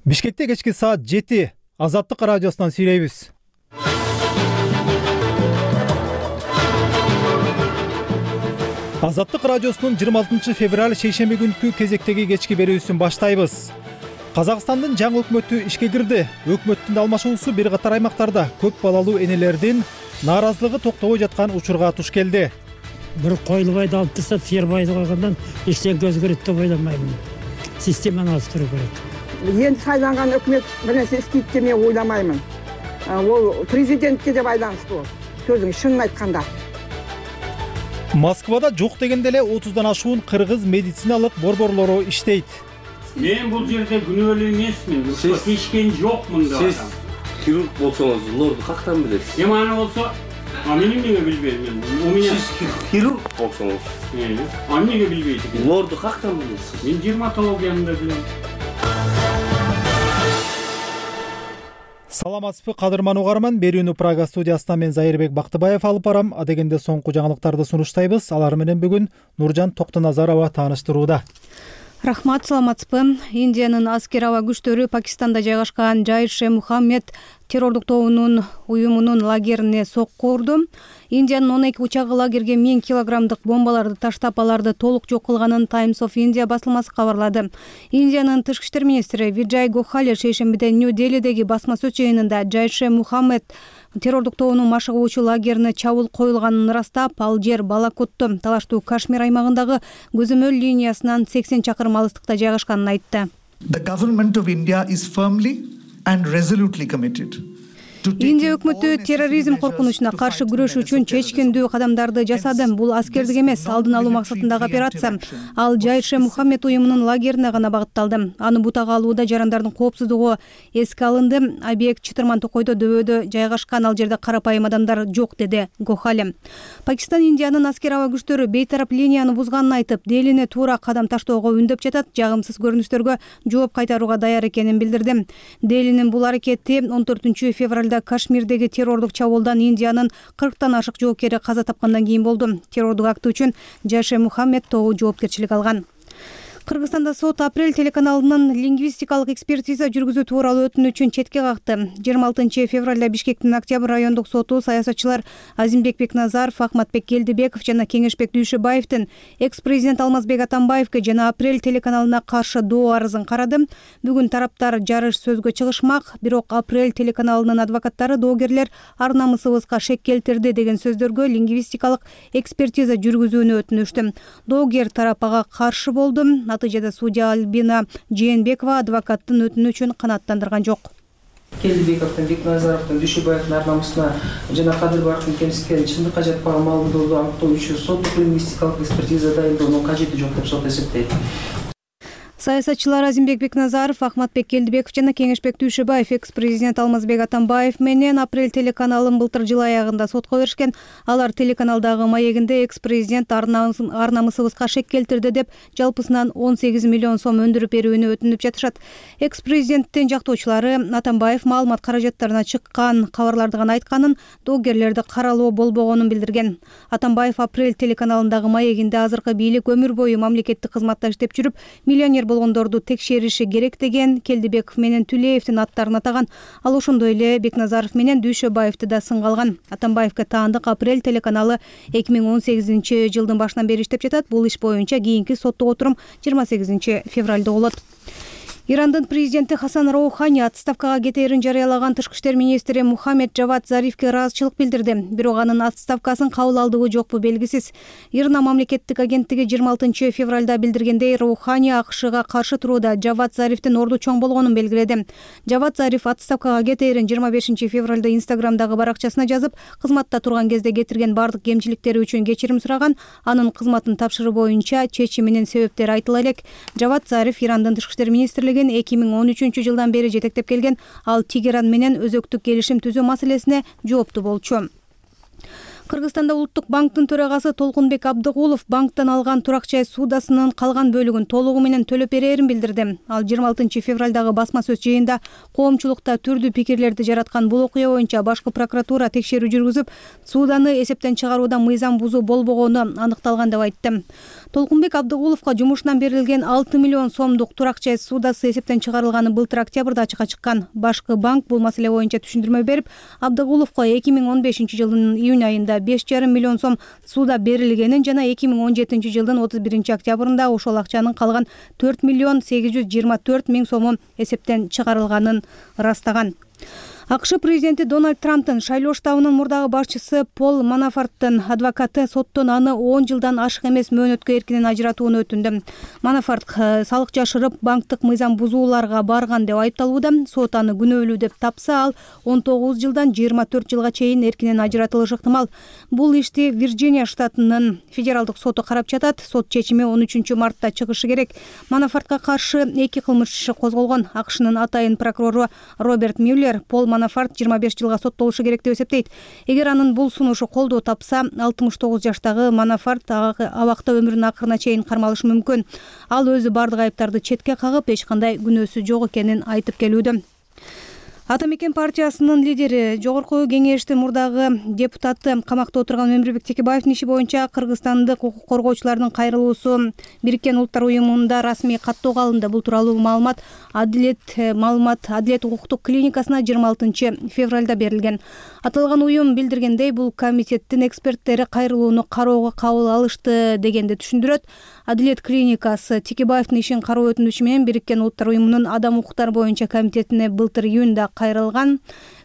Бишкекте кечки саат 7 Азаттык радиосунан сүйлөйбүз. Азаттык радиосунун 26 февраль шейшемби күнкү кезектеги кечки берүүсүн баштайбыз. Казакстандын жаңы өкмөтү ишке кирди. Өкмөттүн алмашуусу бир катар аймактарда көп балалуу энелердин нааразылыгы токтобой жаткан учурга туш келди. Бир койлубайды алып турса, фермайды койгондон эчтеке өзгөрөт деп ойламаймын. Системаны ауыстыруу керек. Енді сайланган өкмөт бір нәрсе істейді деп мен ойламаймын. Ол президентке де байланысты ол. Сөзің шынын айтканда. Москвада жок дегенде эле 30дан ашуун кыргыз медициналык борборлору иштейт. Мен бул жерде күнөөлүү эмесмин. Ишкен жокмун да. Сиз хирург болсоңуз, лорду кактан билесиз? Эмане болсо, мен эмнеге билбейм? У меня Сиз хирург болсоңуз, эмнеге билбейт? лорду кактан билесиз? Мен дерматологияны да билем. Саламатсызбы, кадырман угарман. Берүүнү Прага студиясынан мен Зайырбек Бактыбаев алып барам. Адегенде соңку жаңылыктарды сунуштайбыз. Алар менен бүгүн Нуржан Токтоназарова тааныштырууда. Рахмат, саламатсызбы. Индиянын аскер аба күчтөрү Пакистанда жайгашкан Жайш-e-Мухаммед террордук тобунун уюмунун лагерине сокку урду. Индиянын 12 учагы лагерге 1000 килограммдык бомбаларды таштап, аларды толук жок кылганын Times of India басылмасы кабарлады. Индиянын тышкы иштер министри Виджай Гохали шейшембиде Нью-Делидеги басма сөз жыйынында Жайш-e-Мухаммед террордук тобунун машыгуучу лагерине чабуул коюлганын ырастап, ал жер Балакотту, талаштуу Кашмир аймагындагы көзөмөл линиясынан 80 чакырым алыстыкта жайгашканын айтты. The government of India is firmly and resolutely committed. Индия өкмөтү терроризм коркунучуна каршы күрөшүү үчүн чечкендүү кадамдарды жасады. Бул аскердик эмес, алдын алуу максатындагы операция. Ал Жайш-e-Мухаммед уюмунун лагерине гана багытталды. Аны бутага алууда жарандардын коопсуздугу эске алынды. Объект чытырман токойдо дөбөдө жайгашкан, ал жерде карапайым адамдар жок, деди Гохали. Пакистан Индиянын аскер аба күчтөрү бейтарап линияны бузганын айтып, Делине туура кадам таштоого үндөп жатат, жагымсыз көрүнүштөргө жооп кайтарууга даяр экенин билдирди. Делинин бул аракети 14 февралда Кашмирдеги террордук чабуулдан Индиянын 40тан ашык жоокери каза тапкандан кийин болду. Террордук акты үчүн Жайш-e-Мухаммед тобу жоопкерчилик алган. Кыргызстанда сот апрель телеканалынын лингвистикалык экспертиза жүргүзүү тууралуу өтүнүчүн четке какты. 26 февралда Бишкектин Октябрь райондук соту саясатчылар Азимбек Бекназаров, Ахматбек Келдибеков жана Кеңешбек Дүйшөбаевдин экс-президент Алмазбек Атамбаевге жана апрель телеканалына каршы доо арызын карады. Бүгүн тараптар жарыш сөзгө чыгышмак, бирок апрель телеканалынын адвокаттары доогерлер ар намысыбызга шек келтирди деген сөздөргө лингвистикалык экспертиза жүргүзүүнү өтүнүштү. Доогер тарап ага каршы болду. Натыйжада судья Альбина Жээнбекова адвокаттын өтүнүчүн канааттандырган жок. Келдибековдун, Бекназаровдун, Дүйшөбаевдин ар намысына жана Кадырбаевдин кемситкен чындыкка жатпаган маалыматтарды аныктоо үчүн соттук лингвистикалык экспертиза дайындоонун кажети жок деп сот эсептейт. Саясатчылар Азимбек Бекназаров, Ахматбек Келдибеков жана Кеңешбек Дүйшөбаев экс-президент Алмазбек Атамбаев менен апрель телеканалын былтыр жыл аягында сотко беришкен. Алар телеканалдагы маегинде экс-президент ар намысыбызга шек келтирди деп жалпысынан 18 миллион сом өндүрүп берүүнү өтүнүп жатышат. Экс-президенттин жактоочулары Атамбаев маалымат каражаттарына чыккан кабарларды гана айтканын, доогерлерди каралоо болбогонун билдирген. Атамбаев апрель телеканалындагы маегинде азыркы бийлик өмүр бою мамлекеттик кызматта иштеп жүрүп, миллионер болгондорду текшериши керек деген Келдибеков менен Түлеевдин аттарын атаган. Ал ошондой эле Бекназаров менен Дүйшөбаевди да сынга алган. Атамбаевге таандык апрель телеканалы 2018 жылдын башынан бери иштеп жатат. Бул иш боюнча кийинки соттук отурум 28 февралда болот. Ирандын президенти Хасан Роухани отставкага кетээрин жарыялаган тышкы иштер министри Мухаммед Джавад Зарифке ыраазычылык билдирди. Бирок анын отставкасын кабыл алдыбы жокпу белгисиз. Ирна мамлекеттик агенттиги 26 февралда билдиргендей, Роухани АКШга каршы турууда Джавад Зарифтин орду чоң болгонун белгиледи. Джавад Зариф отставкага кетээрин 25 февралда Инстаграмдагы баракчасына жазып, кызматта турган кезде кетирген бардык кемчиликтери үчүн кечирим сураган. Анын кызматын тапшыруу боюнча чечиминин себептери айтыла элек. Джавад Зариф Ирандын тышкы иштер министрлиги 2013 жылдан бери жетектеп келген. Ал Тегеран менен өзөктүк келишим түзүү маселесине жоопту болчу. Кыргызстанда Улуттук банктын төрагасы Толкунбек Абдыгулов банктан алган турак жай суудасынын калган бөлүгүн толугу менен төлөп берерин билдирди. Ал 26 февралдагы басма сөз жыйында коомчулукта түрдүү пикирлерди жараткан бул окуя боюнча башкы прокуратура текшерүү жүргүзүп, сууданы эсептен чыгарууда мыйзам бузуу болбогону аныкталган деп айтты. Толкунбек Абдыгуловго жумушунан берилген 6 миллион сомдук турак жай суудасы эсептен чыгарылганы былтыр октябрда ачыкка чыккан. Башкы банк бул маселе боюнча түшүндүрмө берип, Абдыгуловго 2015 жылдын июнь айында 5,5 миллион сом сууда берилгенин жана 2017 жылдын 31 октябрында ошол акчанын калган 4 миллион 824 миң сому эсептен чыгарылганын ырастаган. АКШ президенти Дональд Трамптын шайлоо штабынын мурдагы башчысы Пол Манафорттун адвокаты соттон аны 10 жылдан ашык эмес мөөнөткө эркинен ажыратууну өтүндү. Манафорт салык жашырып, банктык мыйзам бузууларга барган деп айыпталууда. Сот аны күнөөлүү деп тапса, ал 19 жылдан 24 жылга чейин эркинен ажыратылышы ыктымал. Бул ишти Вирджиния штатынын федералдык соту карап жатат. Сот чечими 13 мартта чыгышы керек. Манафортко каршы 2 кылмыш иши козголгон. АКШнын атайын прокурору Роберт Мюллер Пол Манафорт 25 жылга соттолушу керек деп эсептейт. Эгер анын бул сунушу колдоо тапса, 69 жаштагы Манафорт абакта өмүрүнүн акырына чейин кармалышы мүмкүн. Ал өзү бардык айыптарды четке кагып, эч кандай күнөөсү жок экенин айтып келүүдө. Ата мекен партиясынын лидери, Жогорку кеңештин мурдагы депутаты камакта отурган Өмүрбек Текебаевдин иши боюнча кыргызстандык укук коргоочулардын кайрылуусу Бириккен Улуттар уюмунда расмий каттоого алынды. Бул тууралуу маалымат Адилет укуктук клиникасына 26 февралда берилген. Аталган уюм билдиргендей, бул комитеттин эксперттери кайрылууну кароого кабыл алышты дегенди түшүндүрөт. Адилет клиникасы Текебаевдин ишин кароо өтүнүчү менен Бириккен Улуттар уюмунун адам укуктары боюнча комитетине былтыр июнда кайрылган.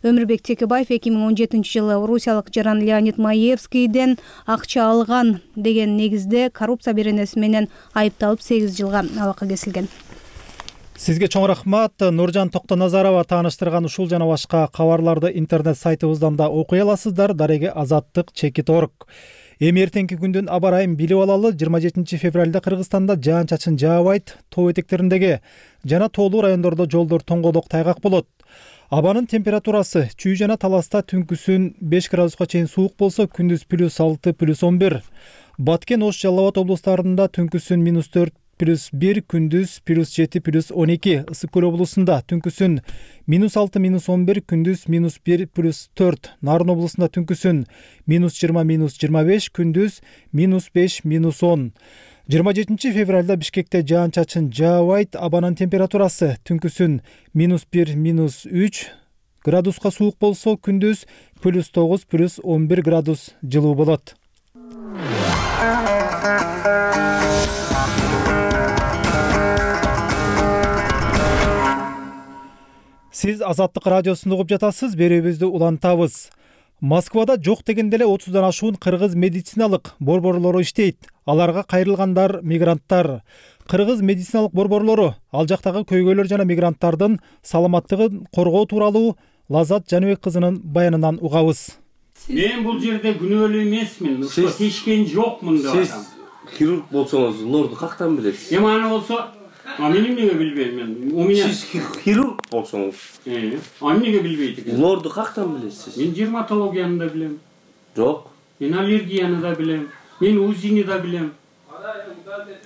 Өмүрбек Текебаев 2017 жылы орусиялык жаран Леонид Маевскийден акча алган деген негизде коррупция беренеси менен айыпталып 8 жылга абакка кесилген. Сизге чоң рахмат. Нуржан Токтоназарова тааныштырган ушул жана башка кабарларды интернет сайтыбыздан да окуй аласыздар. Дареги Азаттык.org. Эми эртеңки күндүн аба ырайын билип алалы. 27 февралда Кыргызстанда жаан-чачын жаабайт. Тоо этектериндеги жана тоолуу райондордо жолдор тоңголок тайгак болот. Абанын температурасы чүй жана таласта түнкүсүн 5 градуска чейин суук болсо, күндүз +6 +11. Баткен, Ош, Жалал Абад облустарында түнкүсүн -4 +1, күндүз +7 +12. Ысык көл облусунда түнкүсүн -6 -11, күндүз -1 +4. Нарын облусунда түнкүсүн -20 -25, күндүз -5 -10. 27 февралда Бишкекте жаан-чачын жаабайт. Абанын температурасы түнкүсүн -1 -3 градуска суук болсо, күндүз +9 +11 градус жылуу болот. Сиз Азаттык радиосун угуп жатасыз. Берүүбүздү улантабыз. Москвада жок дегенде эле 30дан ашуун кыргыз медициналык борборлору иштейт. Аларга кайрылгандар мигранттар. Кыргыз медициналык борборлору ал жактагы көйгөйлөр жана мигранттардын саламаттыгын коргоо тууралуу Лазат Жаныбек кызынын баянынан угабыз. Мен бул жерде күнөөлүү эмесмин. Тешкен жокмун деп Сиз атам. хирург болсоңуз, лорду кактан билесиз? Эми аны болсо, мен эмнеге билбейм мен. У меня Сиз хирург болсоңуз, эмнеге билбейт экен? лорду кактан билесиз? Мен дерматологияны да билем. Жок. Мен аллергияны да билем. Мен УЗИни да билем.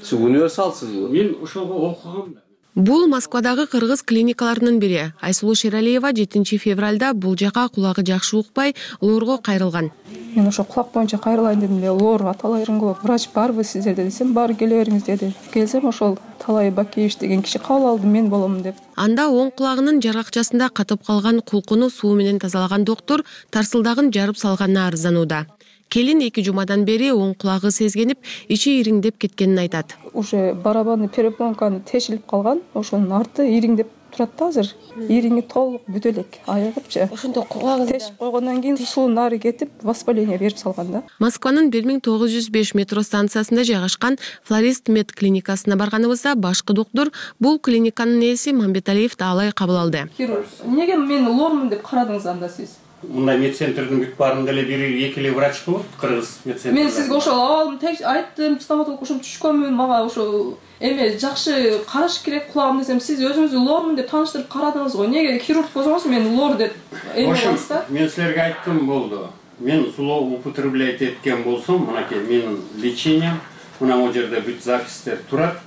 Сиз универсалсызбы? Мен ошого окугам да. Бул Москвадагы кыргыз клиникаларынын бири. Айсулуу Шералиева 7 февралда бул жака кулагы жакшы укпай лорго кайрылган. Мен ошо кулак боюнча кайрылайын дедим эле, лор аталай рынгылып, врач барбы сиздерде десем, баары келе бериңиз деди. Келсем ошол Талай Бакиевич деген киши кабыл алды, мен болом деп. Анда оң кулагынын жаракчасында катып калган кулкуну суу менен тазалаган доктор тарсылдагын жарып салганына арызданууда. Келин 2 жумадан бери оң кулагы сезгенип, ичи ириңдеп кеткенин айтат. Уже барабанный перепонканы тешилип калган, ошонун арты ириңдеп турат да азыр. Ириңи толук бүтө элек, аягыпчы. Ошондо кулагын тешип койгондон кийин суу нары кетип, воспаление берип салган да. Москванын 1905 метро станциясында жайгашкан Флорист мед клиникасына барганыбызда башкы доктор бул клиниканын ээси Мамбеталиев таалай кабыл алды. Неге мен лормун деп карадыңыз анда сиз? Мындай медцентрдин бүт баарында эле бир экили врач болот, кыргыз медцентр. Мен сизге ошол алдым, айттым, стоматолог ошо түшкөнмүн, мага ошо эме жакшы караш керек кулагым десем, сиз өзүңүздү лормун деп тааныштырып карадыңыз го. Неге хирург болсоңуз мен лор деп эме кыласыз да? Мен силерге айттым болду. мен сулоо употреблять эткен болсом, мынакей менин лечением, мына бул жерде бүт запистер турат.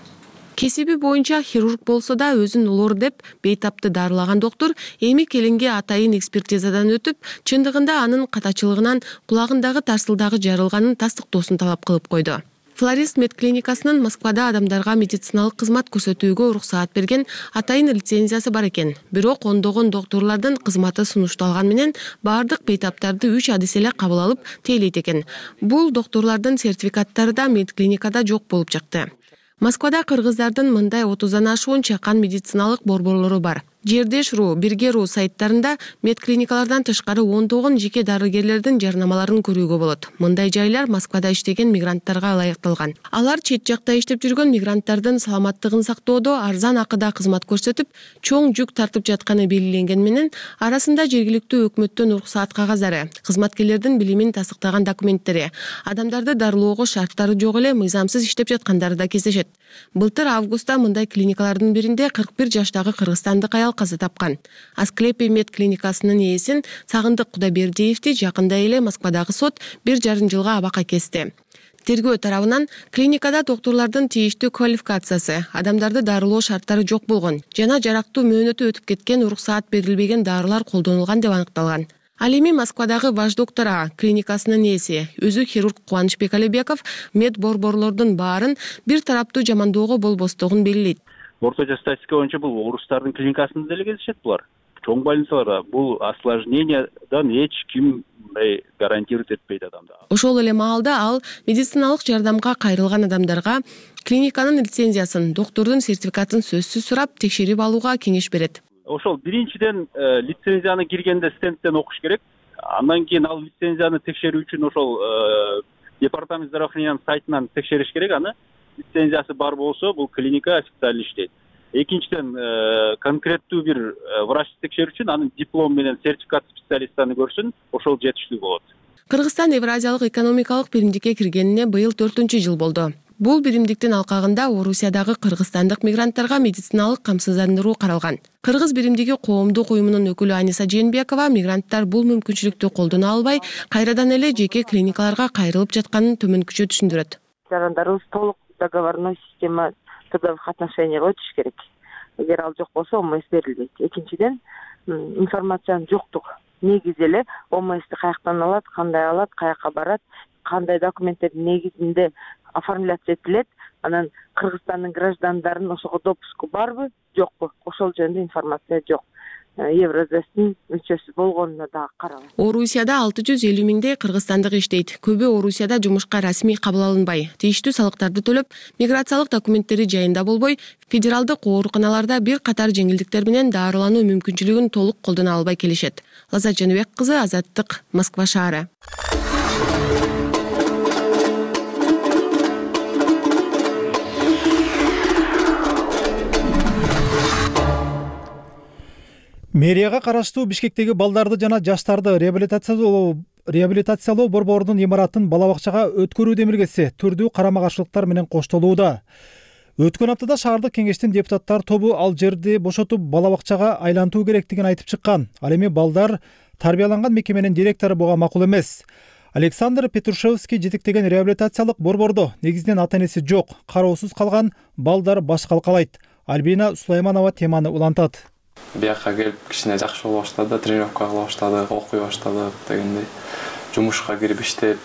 Кесиби боюнча хирург болсо да өзүн улуур деп бейтапты дарылаган доктор эми келинге атайын экспертизадан өтүп, чындыгында анын катачылыгынан кулагындагы тарсылдагы жарылганын тастыктоосун талап кылып койду. Флорист медклиникасынын Москвада адамдарга медициналык кызмат көрсөтүүгө уруксаат берген атайын лицензиясы бар экен. Бирок ондогон доктурлардын кызматы сунушталган менен бардык бейтаптарды 3 адис эле кабыл алып тейлейт экен. Бул доктурлардын сертификаттары да медклиникада жок болуп чыкты. Москвада кыргыздардын мындай 30-дан ашуун чакан медициналык борборлору бар. Жердеш.ру, Бирге.ру сайттарында медклиникалардан тышкары 19 жеке дарыгерлердин жарнамаларын көрүүгө болот. Мындай жайлар Москвада иштеген мигранттарга ылайыкталган. Алар чет жакта иштеп жүргөн мигранттардын саламаттыгын сактоодо арзан акыда кызмат көрсөтүп, чоң жүк тартып жатканы белгиленген менен арасында жергиликтүү өкмөттөн уруксаат кагазары, кызматкерлердин билимин тастыктаган документтери, адамдарды дарылоого шарттары жок эле мыйзамсыз иштеп жаткандары да кездешет. Былтыр августта мындай клиникалардын биринде 41 жаштагы кыргызстандык аял каза тапкан. Асклепий медклиникасынын ээсин Сагындык Кудайбердиевди жакында эле Москвадагы сот 1,5 жылга абакка кести. Тергөө тарабынан клиникада доктурлардын тийиштүү квалификациясы, адамдарды дарылоо шарттары жок болгон жана жарактуу мөөнөтү өтүп кеткен уруксаат берилбеген дарылар колдонулган деп аныкталган. Ал эми Москвадагы Ваш доктора клиникасынын ээси, өзү хирург Кубанычбек Алибеков мед борборлордун баарын бир тараптуу жамандоого болбостугун белгилейт. Орточо статистика боюнча бул орустардын клиникасында деле кездешет булар. Чоң больницаларда бул осложнениядан эч ким гарантирует этпейт адамды. Ошол эле маалда ал медициналык жардамга кайрылган адамдарга клиниканын лицензиясын, доктордун сертификатын сөзсүз сурап, текшерип алууга кеңеш берет. Ошол биринчиден лицензияны киргенде стендтен окуш керек. Андан кийин ал лицензияны текшерүү үчүн ошол департамент здравоохранениянын сайтынан текшериш керек. Аны лицензиясы бар болсо бул клиника официально иштейт. Экинчиден конкреттүү бир врач текшерүү үчүн анын диплом менен сертификат специалистаны көрсүн, ошол жетиштүү болот. Кыргызстан Евразиялык экономикалык биримдикке киргенине быйыл 4-жыл болду. Бул биримдиктин алкагында Орусиядагы кыргызстандык мигранттарга медициналык камсыздандыруу каралган. Кыргыз биримдиги коомдук уюмунун өкүлү Аниса Жээнбекова мигранттар бул мүмкүнчүлүктү колдоно албай, кайрадан эле жеке клиникаларга кайрылып жатканын төмөнкүчө түшүндүрөт. Жарандарыбыз толук договорной система трудовых отношенияга өтүш керек. Эгер ал жок болсо ОМС берилбейт. Экинчиден, информациянын жоктугу. Негизи эле ОМСти каяктан алат, каяка барат, кандай документтердин негизинде оформляться этилет, анан Кыргызстандын граждандарын ошого допуску барбы, жокпу? Ошол жөнүндө информация жок. Евразиястын мүчөсү болгонуна да карабайт. Орусияда 650 миңдей кыргызстандык иштейт. Көбү Орусияда жумушка расмий кабыл алынбай, тийиштүү салыктарды төлөп, миграциялык документтери жайында болбой, федералдык ооруканаларда бир катар жеңилдиктер менен дарылануу мүмкүнчүлүгүн толук колдоно албай келишет. Лаззат Жаныбек кызы, Азаттык, Москва шаары. Мэрияга караштуу Бишкектеги балдарды жана жаштарды реабилитациялоо борборунун имаратын бала бакчага өткөрүү демилгеси түрдүү карама-каршылыктар менен коштолууда. Өткөн аптада шаардык кеңештин депутаттар тобу ал жерди бошотуп бала бакчага айлантуу керектигин айтып чыккан. Ал эми балдар тарбияланган мекеменин директору буга макул эмес. Александр Петрушевский жетектеген реабилитациялык борбордо негизинен ата-энеси жок, кароосуз калган балдар баш калкалайт. Альбина Сулайманова теманы улантат. Бияка келип кичине жакшы боло баштады, тренировка кыла баштады, окуй баштады дегендей. Жумушка кирип иштеп,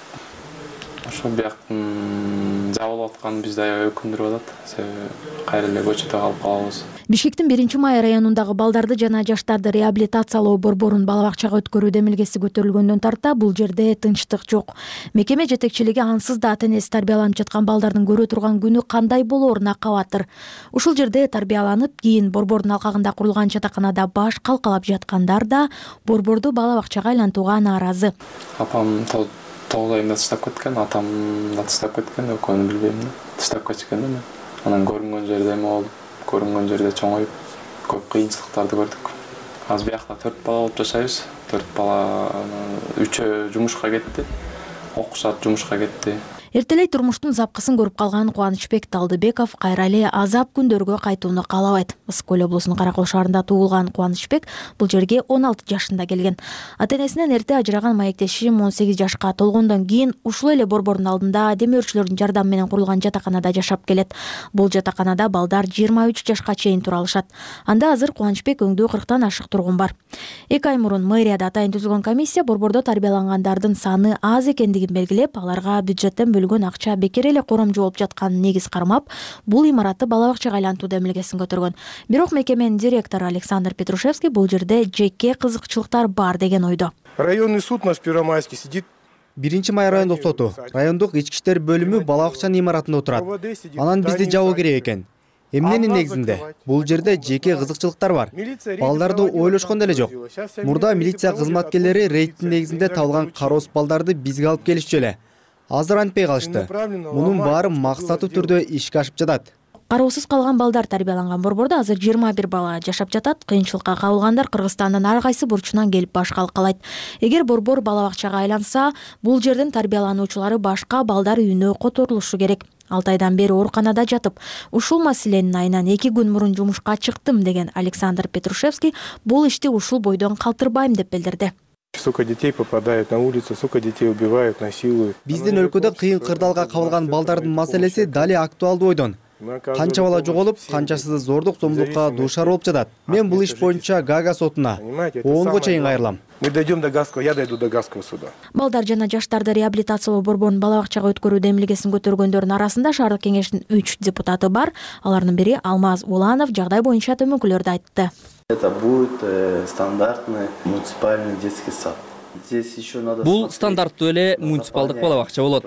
ошо бияктын жабылып атканы бизди аябай өкүндүрүп атат. Себеби кайра эле көчөдө калып калабыз. Бишкектин 1-Май районундагы балдарды жана жаштарды реабилитациялоо борборун бала бакчага өткөрүү демилгеси көтөрүлгөндөн тарта бул жерде тынчтык жок. Мекеме жетекчилиги ансыз да ата-энеси тарбияланып жаткан балдардын көрө турган күнү кандай болооруна кабатыр. Ушул жерде тарбияланып, кийин борбордун алкагында курулган жатаканада баш калкалап жаткандар да борборду бала бакчага айлантууга нааразы. Апам 9 айында таштап кеткен, атам да таштап кеткен, экөөнү билбейм. Таштап кеткен да мен. Анан көрүнгөн жерде эме болуп, көрүнгөн жерде чоңоюп, көп кыйынчылыктарды көрдүк. Азыр биякта 4 бала болуп жашайбыз. 4 бала 3 жумушка кетти. Окушат, жумушка кетти. Эртелей турмуштун запкысын көрүп калган Кубанычбек Талдыбеков кайра эле азап күндөргө кайтууну каалабайт. Ысык көл облусунун Каракол шаарында туулган Кубанычбек бул жерге 16 жашында келген. Ата-энесинен эрте ажыраган маектеши 18 жашка толгондон кийин ушул эле борбордун алдында демөөрчүлөрдүн жардамы менен курулган жатаканада жашап келет. Бул жатаканада балдар 23 жашка чейин тура алышат. Анда азыр Кубанычбек өңдүү 40тан ашык тургун бар. 2 ай мурун мэрияда атайын түзүлгөн комиссия борбордо тарбиялангандардын саны аз экендигин белгилеп, аларга бюджеттен бөлгөн акча бекер эле коромжу болуп жатканын негиз кармап, бул имаратты бала бакчага айлантуу демилгесин көтөргөн. Бирок мекеменин директору Александр Петрушевский бул жерде жеке кызыкчылыктар бар деген ойдо. Районный суд наш Первомайский сидит. 1-май райондук соту, райондук ички иштер бөлүмү бала бакчанын имаратында отурат. Анан бизди жабуу керек экен. Эмненин негизинде? Бул жерде жеке кызыкчылыктар бар. Балдарды ойлошкон деле жок. Мурда милиция кызматкерлери рейдтин негизинде табылган кароосуз балдарды бизге алып келишчү эле. Азыр антпей калышты. Мунун баары максаттуу түрдө ишке ашып жатат. Кароосуз калган балдар тарбияланган борбордо азыр 21 бала жашап жатат. Кыйынчылыкка кабылгандар Кыргызстандын ар кайсы бурчунан келип башка калайт. Эгер борбор бала бакчага айланса, бул жердин тарбиялануучулары башка балдар үйүнө которулушу керек. 6 айдан бери ооруканада жатып, ушул маселенин айынан 2 күн мурун жумушка чыктым деген Александр Петрушевский бул ишти ушул бойдон калтырбайм деп билдирди. Сколько детей попадают на улицу, сколько детей убивают, насилуют. Биздин өлкөдө кыйын кырдаалга кабылган балдардын маселеси дали актуалдуу бойдон. Канча бала жоголуп, канчасы зордук зомбулукка дуушар болуп жатат. Мен бул иш боюнча Гага сотуна 10го чейин кайрылам. Мы дойдем до Гаагского, я дойду до Гаагского суда. Балдар жана жаштарды реабилитациялоо борборунун бала бакчага өткөрүү демилгесин көтөргөндөрдүн арасында шаардык кеңештин 3 депутаты бар. Алардын бири Алмаз Уланов жагдай боюнча төмөнкүлөрдү айтты. Это будет стандартный муниципальный детский сад. Бул стандарттуу эле муниципалдык бала бакча болот.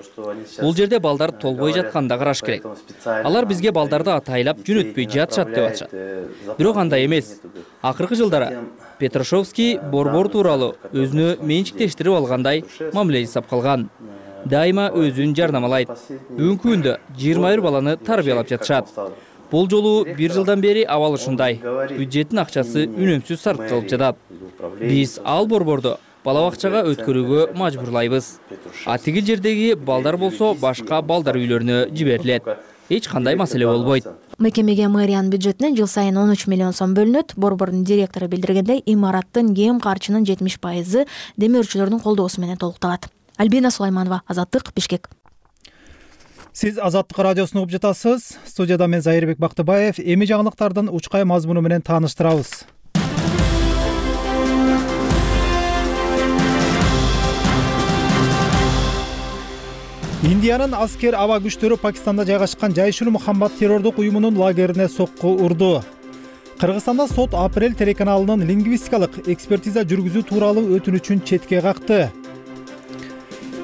Бул жерде балдар толбой жатканда караш керек. Алар бизге балдарды атайлап жөнөтпөй жатышат деп атышат. Бирок андай эмес. Акыркы жылдары Петрушевский борбор тууралуу өзүнө менчиктештирип алгандай мамиле жасап калган. Дайыма өзүн жарнамалайт. Бүгүнкү күндө 21 баланы тарбиялап жатышат. Бул жолу 1 жылдан бери абал ушундай. Бюджеттин акчасы үнөмсүз сарпталып жатат. Биз ал борборду бала бакчага өткөрүүгө мажбурлайбыз. А тиги жердеги балдар болсо башка балдар үйлөрүнө жиберилет. Эч кандай маселе болбойт. Мекемеге мэриянын бюджетинен жыл сайын 13 миллион сом бөлүнөт. Борбордун директору билдиргендей, имараттын кем карчынын 70% демөөрчүлөрдүн колдоосу менен толукталат. Альбина Сулайманова, Азаттык, Бишкек. Сиз Азаттык радиосун угуп жатасыз. Студияда мен Зайырбек Бактыбаев. Эми жаңылыктардын учкай мазмуну менен тааныштырабыз. Индиянын аскер аба күчтөрү Пакистанда жайгашкан Жайшул Мухаммад террордук уюмунун лагерине сокку урду. Кыргызстанда сот Апрель телеканалынын лингвистикалык экспертиза жүргүзүү тууралуу өтүнүчүн четке какты.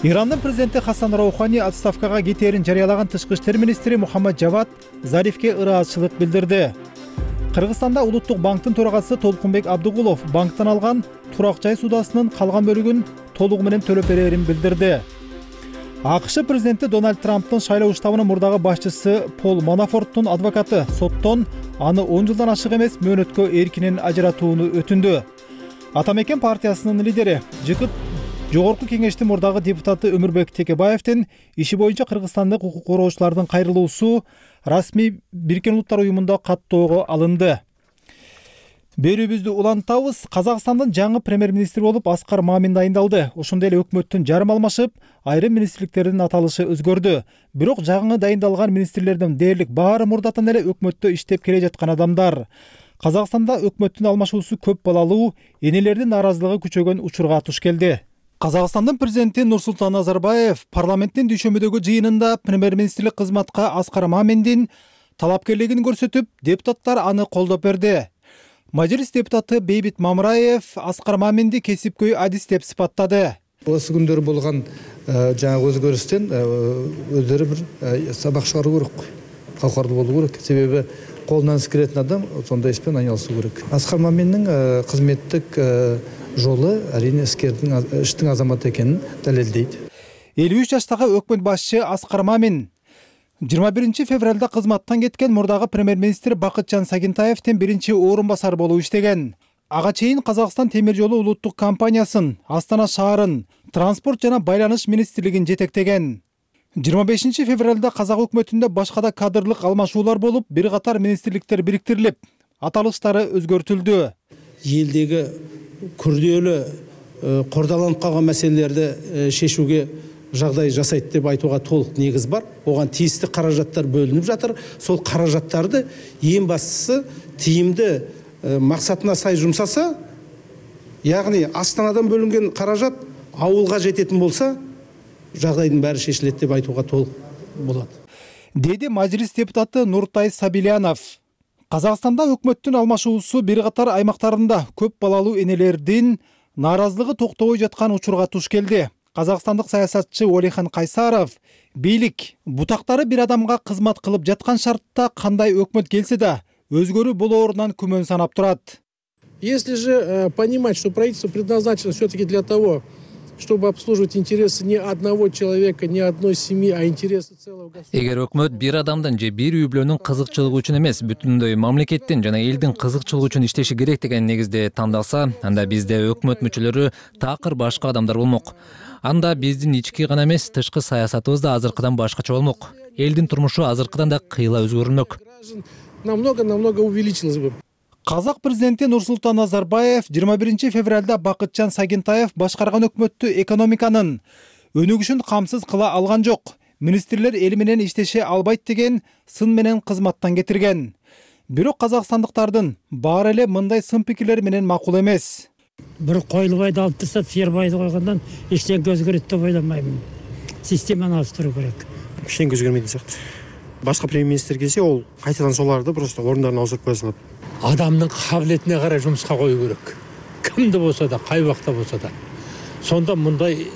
Ирандын президенти Хасан Роухани отставкага кетээрин жарыялаган тышкы иштер министри Мухаммад Жавад Зарифке ыраазычылык билдирди. Кыргызстанда Улуттук банктын төрагасы Толкунбек Абдыгулов банктан алган турак жай суудасынын калган бөлүгүн толугу менен төлөп берерин билдирди. АКШ президенти Дональд Трамптын шайлоо штабынын мурдагы башчысы Пол Манафорттун адвокаты соттон аны 10 жылдан ашык эмес мөөнөткө эркинен ажыратууну өтүндү. Ата мекен партиясынын лидери ЖК Жогорку кеңештин мурдагы депутаты Өмүрбек Текебаевдин иши боюнча кыргызстандык укук короочулардын кайрылуусу расмий Бириккен Улуттар уюмунда каттоого алынды. Берүүбүздү улантабыз. Казакстандын жаңы премьер-министри болуп Аскар Мамин дайындалды. Ошондой эле өкмөттүн жарым алмашып, айрым министрликтердин аталышы өзгөрдү. Бирок жаңы дайындалган министрлердин дээрлик баары мурдатан эле өкмөттө иштеп келе жаткан адамдар. Казакстанда өкмөттүн алмашуусу көп балалуу, энелердин нааразылыгы күчөгөн учурга туш келди. Казакстандын президенти Нурсултан Назарбаев парламенттин дүйшөмүдөгү жыйынында премьер-министрлик кызматка Аскар Маминдин талапкерлигин көрсөтүп, депутаттар аны колдоп берди. Majlis депутаты Бейбит Мамраев Аскар Маминди кесипкөй адис деп сыпаттады. Осы күндер болгон жаңы өзгөрүстөн өздөрү бир сабак чыгаруу керек. Калкардуу болуу керек. Себеби колунан иш келетін адам сондай испен айналысуу керек. Аскар Маминнин кызметтик жолу әрине иштин азаматы экенин далилдейт. 53 жаштагы өкмөт башчы Аскар Мамин 21 февралда кызматтан кеткен мурдагы премьер-министр Бакытжан Сагинтаевдин биринчи орун басары болуп иштеген. Ага чейин Казакстан темир жолу улуттук компаниясын, Астана шаарын, транспорт жана байланыш министрлигин жетектеген. 25 февралда казак өкмөтүндө башка да кадрлык алмашуулар болуп, бир катар министрликтер бириктирилип, аталыштары өзгөртүлдү. Элдеги күрдөөлүү кордаланып калган маселелерди шешүүгө жагдай жасайт деп айтууга толук негиз бар. Оган тийиштүү каражаттар бөлүнүп жатыр. Сол каражаттарды эң бастысы тиимди максатына сай жумсаса, ягни Астанадан бөлүнген каражат ауылга жететін болса, жагдайдын баары шешилет деп айтууга толук болот. Деди мажлис депутаты Нуртай Сабилянов. Казакстанда өкмөттүн алмашуусу бир катар аймактарында көп балалуу энелердин нааразылыгы токтобой жаткан учурга туш келди. Казакстандык саясатчы Олихан Кайсаров бийлик бутактары бир адамга кызмат кылып жаткан шартта кандай өкмөт келсе да өзгөрүү болоорунан күмөн санап турат. Если же понимать, что правительство предназначено все-таки для того, чтобы обслуживать интересы не одного человека, не одной семьи, а интересы целого государства. Эгер өкмөт бир адамдын же бир үй бүлөнүн кызыкчылыгы үчүн эмес, бүтүндөй мамлекеттин жана элдин кызыкчылыгы үчүн иштеши керек деген негизде тандалса, анда бизде өкмөт мүчөлөрү такыр башка адамдар болмок. Анда биздин ички гана эмес, тышкы саясатыбыз да азыркыдан башкача болмок. Элдин турмушу азыркыдан да кыйла өзгөрмөк. Намного увеличилось бы. Казак президенти Нурсултан Назарбаев 21 февралда Бакытжан Сагентаев башкарган өкмөттү экономиканын өнүгүшүн камсыз кыла алган жок, министрлер эл менен иштеше албайт деген сын менен кызматтан кетирген. Бирок казакстандыктардын баары эле мындай сын пикирлер менен макул эмес. Бир койлубайды алып тастап, сыйырбайды койгондон эчтеке өзгөрөт деп ойламайм. Системаны ауыстыруу керек. Эчтеке өзгөрмөйт сыяктуу. Башка премьер-министр келсе, ол кайтадан соларды просто орундарына ауыстырып кое салат. Адамдын кабилетине карай жумушка коюу керек. Кимди болсо да, кай убакта болсо да. Сонда мындай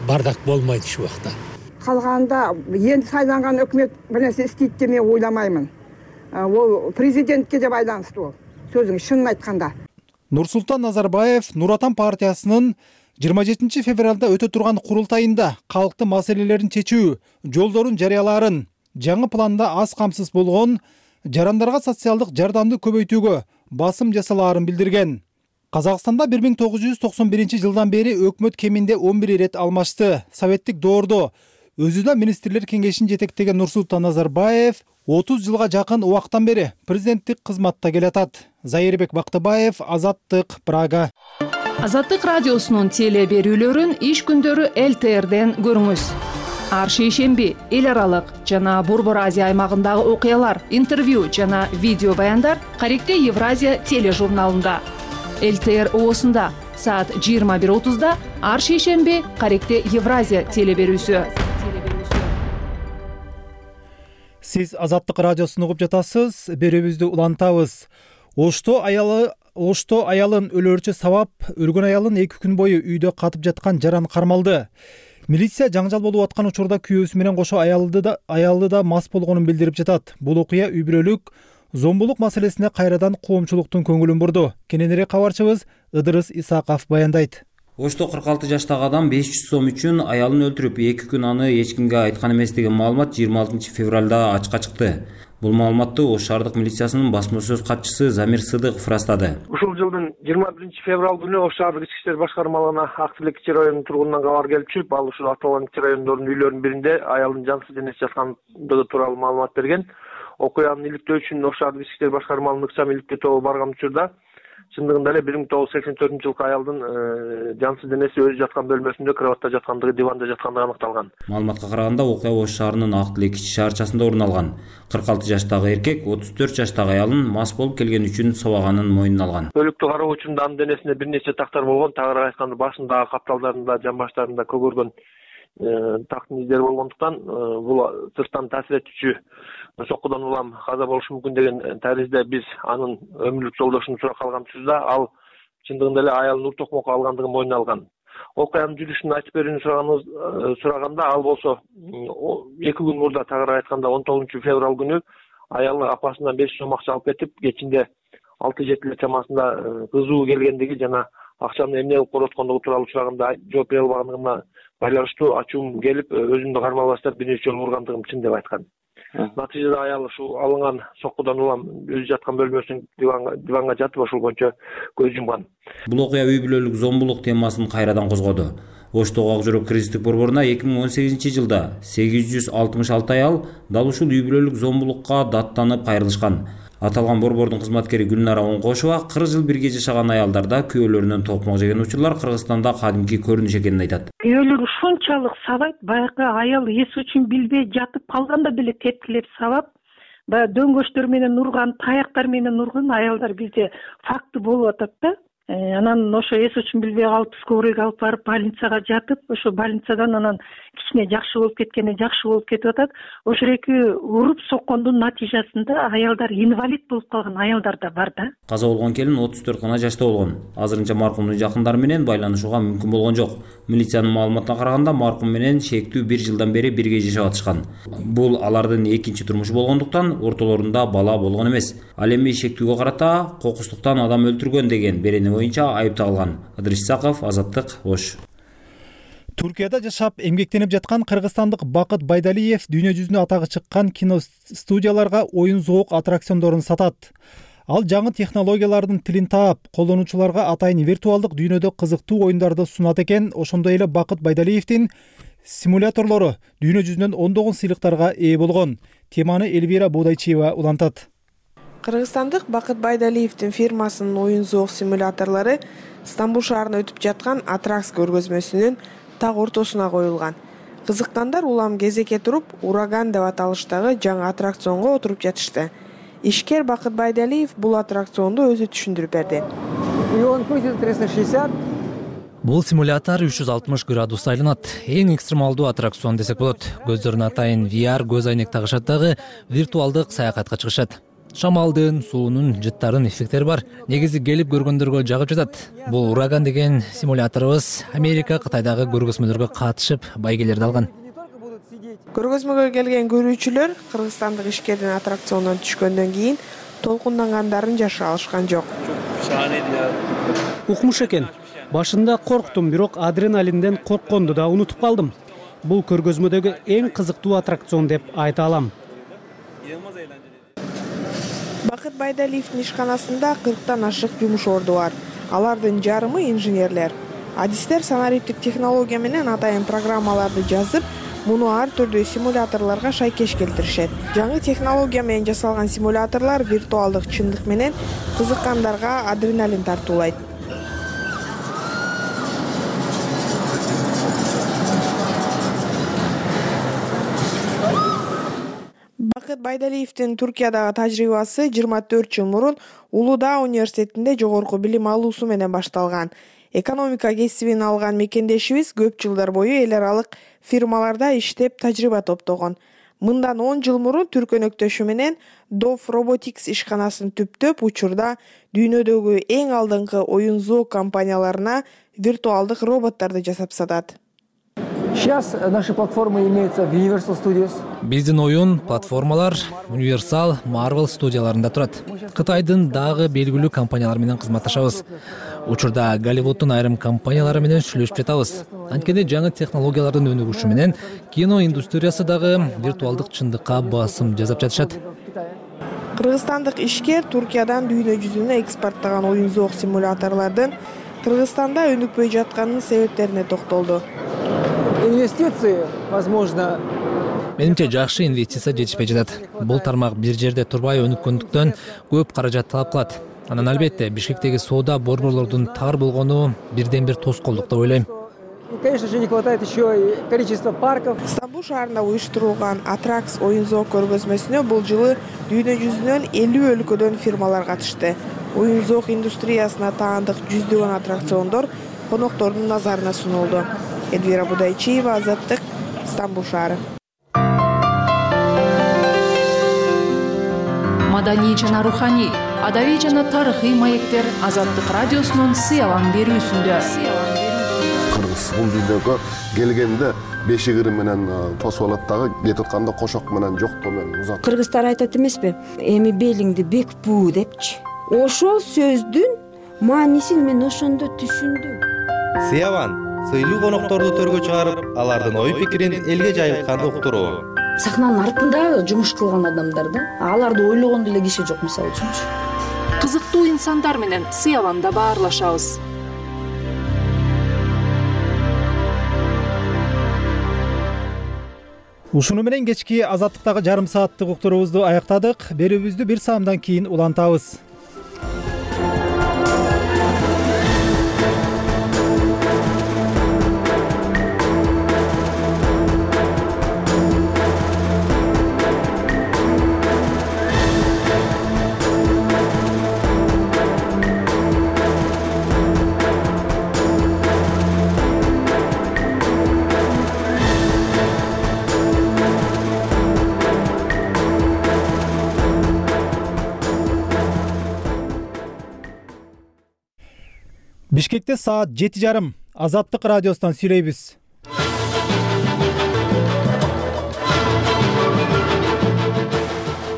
бардак болмойт ушул убакта. Калганда энди сайланган өкмөт бир нерсе истейт деп мен ойламаймын. Ол президентке де байланыштуу. Сөзүң шынын айтканда. Нурсултан Назарбаев Нур Отан партиясынын 27 февралда өтө турган курултайында калктын маселелерин чечүү жолдорун жарыялаарын, жаңы планда аз камсыз болгон жарандарга социалдык жардамды көбөйтүүгө басым жасалаарын билдирген. Казакстанда 1991 жылдан бери өкмөт кеминде 11 ирет алмашты. Советтик доордо өзү да министрлер кеңешин жетектеген Нурсултан Назарбаев 30 жылга жакын убактан бери президенттик кызматта келатат. Зайырбек Бактыбаев, Азаттык, Прага. Азаттык радиосунун теле берүүлөрүн иш күндөрү ЛТРден көрүңүз. Ар шейшемби эл аралык жана Борбор Азия аймагындагы окуялар, интервью жана видео баяндар Каректе Евразия тележурналында. ЛТР оосунда саат 21:30 ар шейшемби Каректе Евразия теле берүүсү. Сиз Азаттык радиосун угуп жатасыз. Берүүбүздү улантабыз. Ошто аялын өлөрчү сабап, өлгөн аялын 2 күн бою үйдө катып жаткан жаран кармалды. Милиция жаңжал болуп аткан учурда күйөөсү менен кошо аялды да мас болгонун билдирип жатат. Бул окуя үй бүлөлүк зомбулук маселесине кайрадан коомчулуктун көңүлүн бурду. Кененирээк кабарчыбыз Ыдырыс Исаков баяндайт. Ошто 46 жаштагы адам 500 сом үчүн аялын өлтүрүп, 2 күн аны эч кимге айткан эмес деген маалымат 26 февралда ачыкка чыкты. Бул маалыматты Ош шаардык милициясынын басма сөз катчысы Замир Сыдыков растады. Ушул жылдын 21 февраль күнү Ош шаардык ички иштер башкармалыгына Актилек кичи районунун тургунунан кабар келип чыгып, ал ушул аталган кичи райондордун үйлөрүнүн биринде аялдын жансыз денеси жаткандыгы тууралуу маалымат берген. Окуянын иликтөө үчүн Ош шаардык ички иштер башкармалыгынын ыкчам иликтөө тобу барган учурда чындыгында эле 1984 жылкы аялдын жансыз денеси өзү жаткан бөлмөсүндө кроватта жаткандыгы, диванда жаткандыгы аныкталган. Маалыматка караганда окуя Ош шаарынын Актилек кичи шаарчасында орун алган. 46 жаштагы эркек 34 жаштагы аялын мас болуп келген үчүн собаганын мойнуна алган. Өлүктү кароо учурунда анын денесинде бир нече тактар болгон, тагыраак айтканда башындагы капталдарында, жамбаштарында көгөргөн тактын издери болгондуктан бул сырттан таасир этүүчү соккудан улам каза болушу мүмкүн деген таризде биз анын өмүрлүк жолдошун суракка алган учурда ал чындыгында эле аялын ур токмокко алгандыгын мойнуна алган. Окуянын жүрүшүн айтып берүүнү сураганда ал болсо 2 күн мурда тагыраак айтканда 19 февраль күнү аялы апасынан 500 сом акча алып кетип, кечинде 6-7 чамасында кызуу келгендиги жана акчаны эмне кылып короткондугу тууралуу сураганда жооп бере албагандыгына байланыштуу ачуум келип, өзүмдү кармала баштап бир нече жолу ургандыгым чын деп айткан. Натыйжада аял ушул алынган соккудан улам өзү жаткан бөлмөсүнүн диванга жатып ошол боюнча көз жумган. Бул окуя үй бүлөлүк зомбулук темасын кайрадан козгоду. Оштогу Ак Жүрөк кризистик борборуна 2018-жылда 866 аял дал ушул үй бүлөлүк зомбулукка даттанып кайрылышкан. Аталган борбордун кызматкери Гүлнара Оңкошова 40 жыл бирге жашаган аялдарда күйөөлөрүнөн токмок жеген учурлар Кыргызстанда кадимки көрүнүш экенин айтат. Күйөөлөр ушунчалык сабайт, баягы аял эс үчүн билбей жатып калганда деле тепкилеп сабап, баягы дөңгөчтөр менен урган, таяктар менен урган аялдар бизде факты болуп атат да. Анан ошо эс үчүн билбей калып скорыйга алып барып больницага жатып, ошо больницадан анан кичине жакшы болуп кетип атат. Ошо эки уруп соккондун натыйжасында аялдар инвалид болуп калган аялдар да бар да. Каза болгон келин 34 гана жашта болгон. Азырынча маркумдун жакындары менен байланышууга мүмкүн болгон жок. Милициянын маалыматына караганда маркум менен шектүү 1 жылдан бери бирге жашап атышкан. Бул алардын экинчи турмушу болгондуктан ортолорунда бала болгон эмес. Ал эми шектүүгө карата кокустуктан адам өлтүргөн деген берени боюнча айыпталган. Адрис Исаков, Азаттык, Ош. Туркияда жашап эмгектенип жаткан кыргызстандык Бакыт Байдалиев дүйнө жүзүнө атагы чыккан киностудияларга оюн зоок аттракциондорун сатат. Ал жаңы технологиялардын тилин таап, колдонуучуларга атайын виртуалдык дүйнөдө кызыктуу оюндарды сунат экен. Ошондой эле Бакыт Байдалиевдин симуляторлору дүйнө жүзүнөн ондогон сыйлыктарга ээ болгон. Теманы Элвира Бодайчиева улантат. Кыргызстандык Бакыт Байдалиевдин фирмасынын оюн зоок симуляторлору Стамбул шаарында өтүп жаткан Атракс көргөзмөсүнүн так ортосуна коюлган. Кызыккандар улам кезекке туруп, Ураган деп аталыштагы жаңы аттракционго отуруп жатышты. Ишкер Бакыт Байдалиев бул аттракционду өзү түшүндүрүп берди. Бул симулятор 360 градус айланат. Эң экстремалдуу аттракцион десек болот. Көздөрүнө атайын VR көз айнек тагышат дагы виртуалдык саякатка чыгышат. Шамалдын, суунун, жыттардын эффекттери бар. Негизи келип көргөндөргө жагып жатат. Бул Ураган деген симуляторубуз Америка, Кытайдагы көргөзмөлөргө катышып, байгелерди алган. Көргөзмөгө келген көрүүчүлөр кыргызстандык ишкердин аттракциондон түшкөндөн кийин толкундангандарын жаша алышкан жок. Укмуш экен. Башында корктум, бирок адреналинден коркконду да унутуп калдым. Бул көргөзмөдөгү эң кызыктуу аттракцион деп айта алам. Бакыт Байдалиевдин ишканасында 40тан ашык жумуш орду бар. Алардын жарымы инженерлер. Адистер санариптик технология менен атайын программаларды жазып, муну ар түрдүү симуляторлорго шайкеш келтиришет. Жаңы технология менен жасалган симуляторлор виртуалдык чындык менен кызыккандарга адреналин тартуулайт. Бакыт Байдалиевдин Туркиядагы тажрыйбасы 24 жыл мурун Улуу-Даа университетинде жогорку билим алуусу менен башталган. Экономика кесибин алган мекендешибиз көп жылдар бою эл аралык фирмаларда иштеп тажрыйба топтогон. Мындан 10 жыл мурун түркөнөктөшү менен Dov Robotics ишканасын түптөп учурда дүйнөдөгү эң алдыңкы оюн зоок компанияларына виртуалдык роботтарды жасап сатат. Сейчас наши платформы имеются в Universal Studios. Биздин оюн платформалар Universal, Marvel студияларында турат. Кытайдын дагы белгилүү компаниялар менен кызматташабыз. Учурда Голливуддун айрым компаниялары менен сүйлөшүп жатабыз. Анткени жаңы технологиялардын өнүгүшү менен кино индустриясы дагы виртуалдык чындыкка басым жасап жатышат. Кыргызстандык ишкер Туркиядан дүйнө жүзүнө экспорттаган оюн зоок симуляторлордун Кыргызстанда өнүкпөй жатканынын себептерине токтолду. Инвестиции, возможно. Менимче жакшы инвестиция жетишпей жатат. Бул тармак бир жерде турбай өнүккөндүктөн көп каражат талап кылат. Анан албетте Бишкектеги соода борборлордун тар болгону бирден бир тоскоолдук деп ойлойм. Конечно же, не хватает еще и количества парков. Стамбул шаарында уюштурулган Атракс оюн зоок көргөзмөсүнө бул жылы дүйнө жүзүнөн 50 өлкөдөн фирмалар катышты. Оюн зоок индустриясына таандык жүздөгөн аттракциондор коноктордун назарына сунулду. Элвира Бодайчиева, Азаттык, Стамбул шаары. Маданий жана руханий, адабий жана тарыхый маектер Азаттык радиосунун сыялан берүүсүндө. Кыргыз бул дүйнөгө келгенде бешигири менен тосуп алат дагы, кетип атканда кошок менен жоктоо менен узат. Кыргыздар айтат эмеспи? Эми белиңди бек буу депчи. Ошол сөздүн маанисин мен ошондо түшүндүм. Сыяван сыйлуу конокторду төргө чыгарып, алардын ой пикирин элге жайылтканды уктуруу. Сахнанын артында жумуш кылган адамдар да, аларды ойлогон деле киши жок мисалы үчүнчү. Кызыктуу инсандар менен Сыяванда баарлашабыз. Ушуну менен кечки азаттыктагы жарым сааттык уктуруубузду аяктадык. Берүүбүздү бир саамдан кийин улантабыз. Бишкекте саат 7:30. Азаттык радиосунан сүйлөйбүз.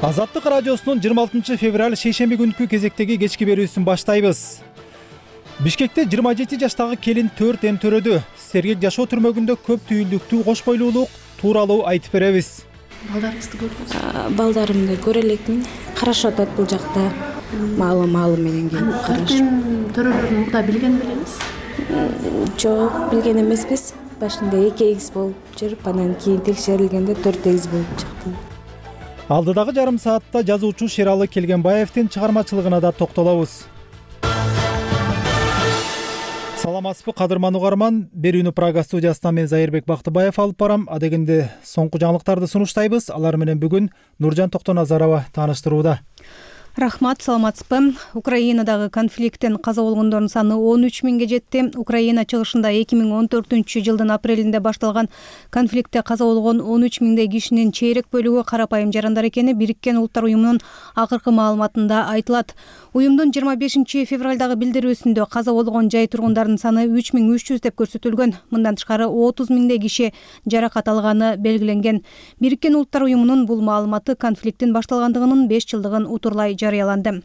Азаттык радиосунун 26 февраль шейшемби күнкү кезектеги кечки берүүсүн баштайбыз. Бишкекте 27 жаштагы келин 4 эм төрөдү. Сергек жашоо түрмөгүндө көп түйүлдүктүү кош бойлуулук тууралуу айтып беребиз. Балдарыңызды көрдүңүз? Балдарымды көрө элекмин. Карашып атат бул жакта. Маалы менен келип карашып. Төрөлөрүн мурда билген белеңиз? Жок, билген эмеспиз. Башында 2 эгиз болуп жүрүп, анан кийин текшерилгенде 4 эгиз болуп чыкты. Алдыдагы жарым саатта жазуучу Шералы Келгенбаевдин чыгармачылыгына да токтолобуз. Саламатсызбы кадырман угарман, берүүнү Прага студиясынан мен Зайырбек Бактыбаев алып барам. Адегенде соңку жаңылыктарды сунуштайбыз. Алар менен бүгүн Нуржан Токтоназарова тааныштырууда. Рахмат, саламатсызбы. Украинадагы конфликттен каза болгондордун саны 13 миңге жетти. Украина чыгышында 2014-жылдын апрелинде башталган конфликтте каза болгон 13 миңдей кишинин чейрек бөлүгү карапайым жарандар экени Бириккен Улуттар уюмунун акыркы маалыматында айтылат. Уюмдун 25 февралдагы билдирүүсүндө каза болгон жай тургундардын саны 3300 деп көрсөтүлгөн. Мындан тышкары 30 миңдей киши жаракат алганы белгиленген. Бириккен Улуттар уюмунун бул маалыматы конфликттин башталгандыгынын 5 жылдыгын утурлай жарыяланды.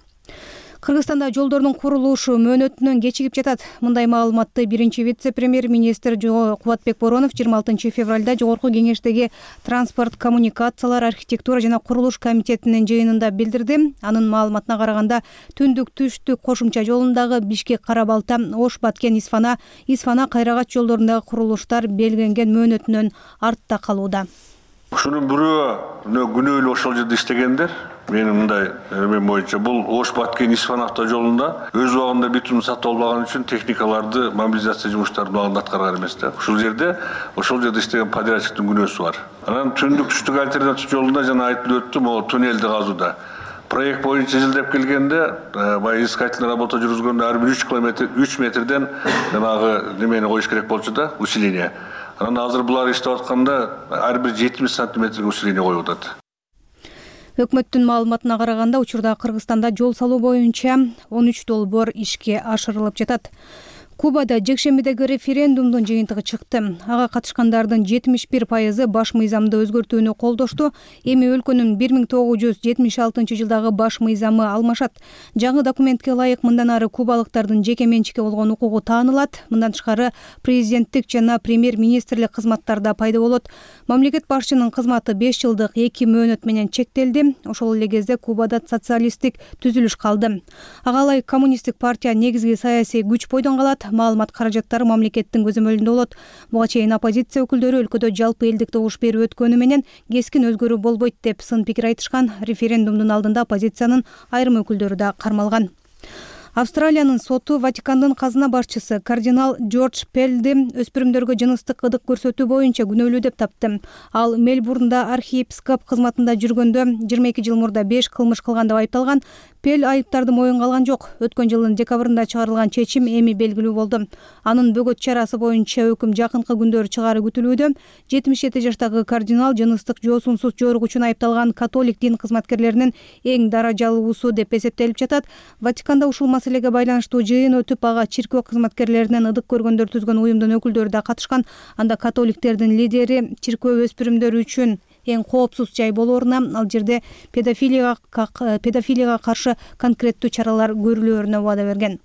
Кыргызстанда жолдордун курулушу мөөнөтүнөн кечигип жатат. Мындай маалыматты биринчи вице-премьер-министр Кубатбек Боронов 26 февралда Жогорку кеңештеги транспорт, коммуникациялар, архитектура жана курулуш комитетинин жыйынында билдирди. Анын маалыматына караганда, түндүк-түштүк кошумча жолундагы Бишкек-Кара-Балта, Ош-Баткен-Исфана, Исфана-Кайрагач жолдорундагы курулуштар белгиленген мөөнөтүнөн артта калууда. Ушунун бирөө күнөөлүү ошол жерде иштегендер. Менин мындай эме боюнча бул Ош-Баткен Исфана автожолунда өз убагында битум сатып албаган үчүн техникаларды мобилизация жумуштарын убагында аткарган эмес да. Ошол жерде иштеген подрядчиктин күнөөсү бар. Анан түндүк-түштүк альтернатив жолунда жана айтылып өттү, могу туннелди казууда. Проект боюнча изилдеп келгенде, баягы искательный работа жүргүзгөндө ар бир 3 метрден жанагы немени коюш керек болчу да, усиление. Анан азыр булар иштеп атканда ар бир 70 сантиметрге усиление коюп атат. Өкмөттүн маалыматына караганда, учурда Кыргызстанда жол салуу боюнча 13 долбоор ишке ашырылып жатат. Кубада жекшембидеги референдумдун жыйынтыгы чыкты. Ага катышкандардын 71% баш мыйзамды өзгөртүүнү колдошту. Эми өлкөнүн 1976-жылдагы баш мыйзамы алмашат. Жаңы документке ылайык мындан ары кубалыктардын жеке менчикке болгон укугу таанылат. Мындан тышкары президенттик жана премьер-министрлик кызматтарда пайда болот. Мамлекет башчынын кызматы 5 жылдык 2 мөөнөт менен чектелди. Ошол эле кезде Кубада социалисттик түзүлүш калды. Ага ылайык коммунисттик партия негизги саясий күч бойдон калат. Маалымат каражаттары мамлекеттин көзөмөлүндө болот. Буга чейин оппозиция өкүлдөрү өлкөдө жалпы элдик добуш берүү өткөнү менен кескин өзгөрүү болбойт деп сын пикир айтышкан. Референдумдун алдында оппозициянын айрым өкүлдөрү да кармалган. Австралиянын соту Ватикандын казына башчысы кардинал Джордж Пелди өспүрүмдөргө жыныстык ыдык көрсөтүү боюнча күнөөлүү деп тапты. Ал Мельбурнда архиепископ кызматында жүргөндө 22 жыл мурда 5 кылмыш кылган деп айыпталган. Пел айыптарды моюнга алган жок. Өткөн жылдын декабрында чыгарылган чечим эми белгилүү болду. Анын бөгөт чарасы боюнча өкүм жакынкы күндөрү чыгаары күтүлүүдө. 77 жаштагы кардинал жыныстык жоосунсуз жорук үчүн айыпталган католик дин кызматкерлеринин эң даражалуусу деп эсептелип жатат. Ватиканда ушул маселеге байланыштуу жыйын өтүп, ага чиркөө кызматкерлеринен ыдык көргөндөр түзгөн уюмдун өкүлдөрү да катышкан. Анда католиктердин лидери чиркөө өспүрүмдөр үчүн эң коопсуз жай болооруна, ал жерде педофилияга каршы конкреттүү чаралар көрүлөөрүнө убада берген.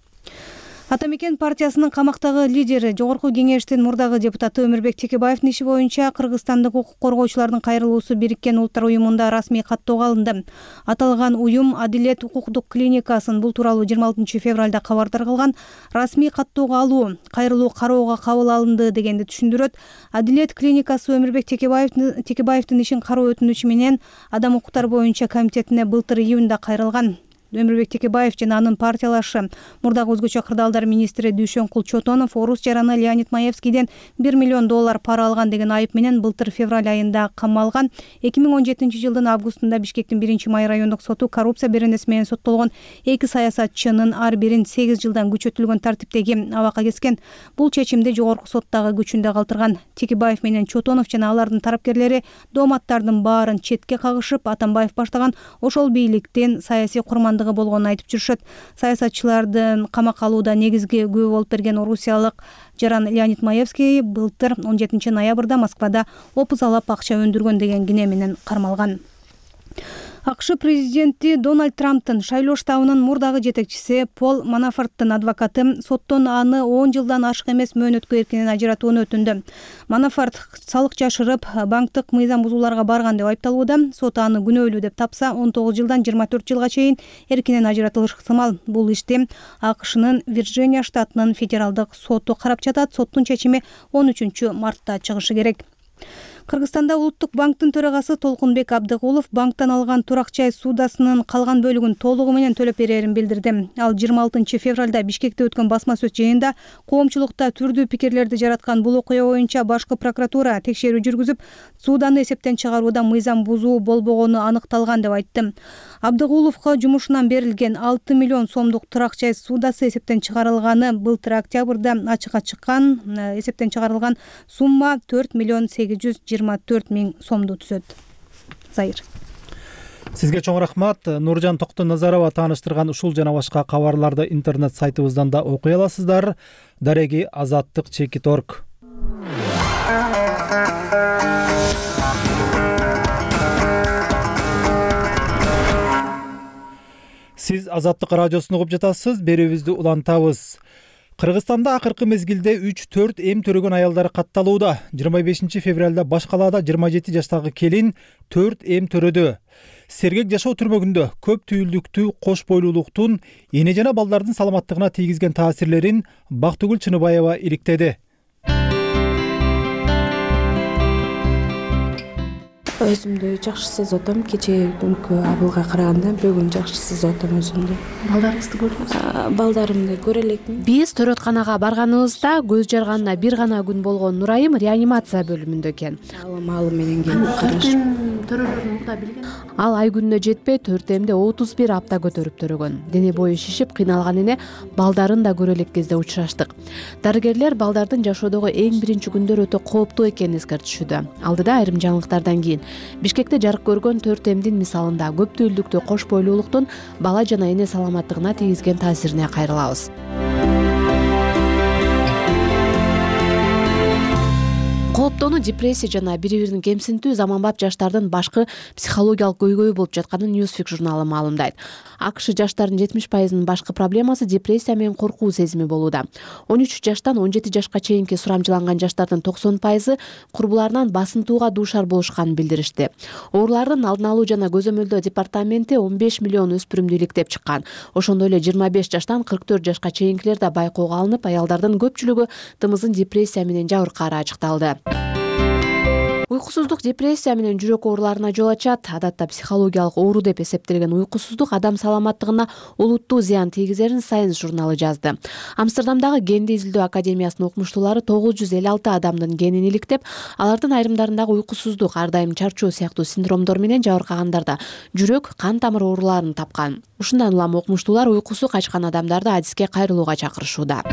Ата мекен партиясынын камактагы лидери, жогорку кеңештин мурдагы депутаты Өмүрбек Текебаевдин иши боюнча кыргызстандык укук коргоочулардын кайрылуусу Бириккен Улуттар уюмунда расмий каттоого алынды. Аталган уюм Адилет укуктук клиникасын бул тууралуу 26 февралда кабардар кылган. Расмий каттоого алуу, кайрылуу кароого кабыл алынды дегенди түшүндүрөт. Адилет клиникасы Өмүрбек Текебаевдин ишин кароо өтүнүчү менен Адам укуктары боюнча комитетине былтыр июнда кайрылган. Өмүрбек Текебаев жана анын партиялашы мурдагы өзгөчө кырдаалдар министри Дүйшөнкул Чотонов орус жараны Леонид Маевскийден $1 миллион пара алган деген айып менен былтыр февраль айында камалган. 2017 жылдын августунда Бишкектин 1-май райондук соту коррупция беренеси менен соттолгон 2 саясатчынын ар бирин 8 жылдан күчөтүлгөн тартиптеги абакка кескен. Бул чечимди жогорку соттагы күчүндө калтырган. Текебаев менен Чотонов жана алардын тарапкерлери дооматтардын баарын четке кагышып, Атамбаев баштаган ошол бийликтин саясий курмандыгы болгонун айтып жүрүшөт. Саясатчылардын камакка алууда негизги күбө болуп берген орусиялык жаран Леонид Маевский былтыр 17 ноябрда Москвада опузалап акча өндүргөн деген кине менен кармалган. АКШ президенти Дональд Трамптын шайлоо штабынын мурдагы жетекчиси Пол Манафорттун адвокаты соттон аны 10 жылдан ашык эмес мөөнөткө эркинен ажыратууну өтүндү. Манафорт салык жашырып, банктык мыйзам бузууларга барган деп айыпталууда. Сот аны күнөөлүү деп тапса, 19 жылдан 24 жылга чейин эркинен ажыратылышы ыктымал. Бул ишти АКШнын Вирджиния штатынын федералдык соту карап жатат. Соттун чечими 13 мартта чыгышы керек. Кыргызстанда Улуттук банктын төрагасы Толкунбек Абдыгулов банктан алган турак жай ссудасынын калган бөлүгүн толугу менен төлөп берерин билдирди. Ал 26 февралда Бишкекте өткөн басма сөз жыйынында коомчулукта түрдүү пикирлерди жараткан бул окуя боюнча башкы прокуратура текшерүү жүргүзүп, ссуданы эсептен чыгарууда мыйзам бузуу болбогону аныкталган деп айтты. Абдыгуловго жумушунан берилген 6 миллион сомдук турак жай ссудасы эсептен чыгарылганы былтыр октябрда ачыкка чыккан. Эсептен чыгарылган сумма 4 миллион 824 миң сомду түзөт. Зайыр. Сизге чоң рахмат. Нуржан Токтоназарова тааныштырган ушул жана башка кабарларды интернет сайтыбыздан да окуй аласыздар. Дареги azаттык.org. Сиз Азаттык радиосун угуп жатасыз. Берүүбүздү улантабыз. Кыргызстанда акыркы мезгилде 3-4 эм төрөгөн аялдар катталууда. 25 февралда Баш калаада 27 жаштагы келин 4 эм төрөдү. Сергек жашоо түрмөгүндө көп түйүлдүктүү кош бойлуулуктун эне жана балдардын саламаттыгына тийгизген таасирлерин Бактыгүл Чыныбаева иликтеди. Өзүмдү жакшы сезип атам. Кечээ күнкү абылга караганда бүгүн жакшы сезип атам өзүмдү. Балдарыңызды көрдүңүзбү? Балдарымды көрө элекмин. Биз төрөтканага барганыбызда көз жарганына бир гана күн болгон Нурайым реанимация бөлүмүндө экен. Маалы менен келип карашып. Төрөлөрүн мурда билген. Ал ай күнүнө жетпей 4 эмде 31 апта көтөрүп төрөгөн. Дене бою шишип кыйналган эне балдарын да көрө элек кезде учураштык. Дарыгерлер балдардын жашоодогу эң биринчи күндөр өтө кооптуу экенин эскертишүүдө. Алдыда айрым жаңылыктардан кийин Бишкекте жарык көргөн 4 эмдин мисалында көп түйүлдүктүү кош бойлуулуктун бала жана эне саламаттыгына тийгизген таасирине кайрылабыз. Кооптонуу, депрессия жана бири-бирин кемсинтүү заманбап жаштардын башкы психологиялык көйгөйү болуп жатканын Newsweek журналы маалымдайт. АКШ жаштардын 70%-нын башкы проблемасы депрессия менен коркуу сезими болууда. 13 жаштан 17 жашка чейинки сурамжыланган жаштардын 90% курбуларынан басынтууга дуушар болушканын билдиришти. Оорулардын алдын алуу жана көзөмөлдөө департаменти 15 миллион өспүрүмдү иликтеп чыккан. Ошондой эле 25 жаштан 44 жашка чейинкилер да байкоого алынып, аялдардын көпчүлүгү тымыздын депрессия менен жабыркаары ачыкталды. Уйкусуздук депрессия менен жүрөк ооруларына жол ачат. Адатта психологиялык оору деп эсептелген уйкусуздук адам саламаттыгына олуттуу зыян тийгизерин Science журналы жазды. Амстердамдагы генди изилдөө академиясынын окумуштуулары 956 адамдын генин иликтеп, алардын айрымдарындагы уйкусуздук, ар дайым чарчоо сыяктуу синдромдор менен жабыркагандарда жүрөк, кан тамыр ооруларын тапкан. Ушундан улам окумуштуулар уйкусу качкан адамдарды адиске кайрылууга чакырышууда.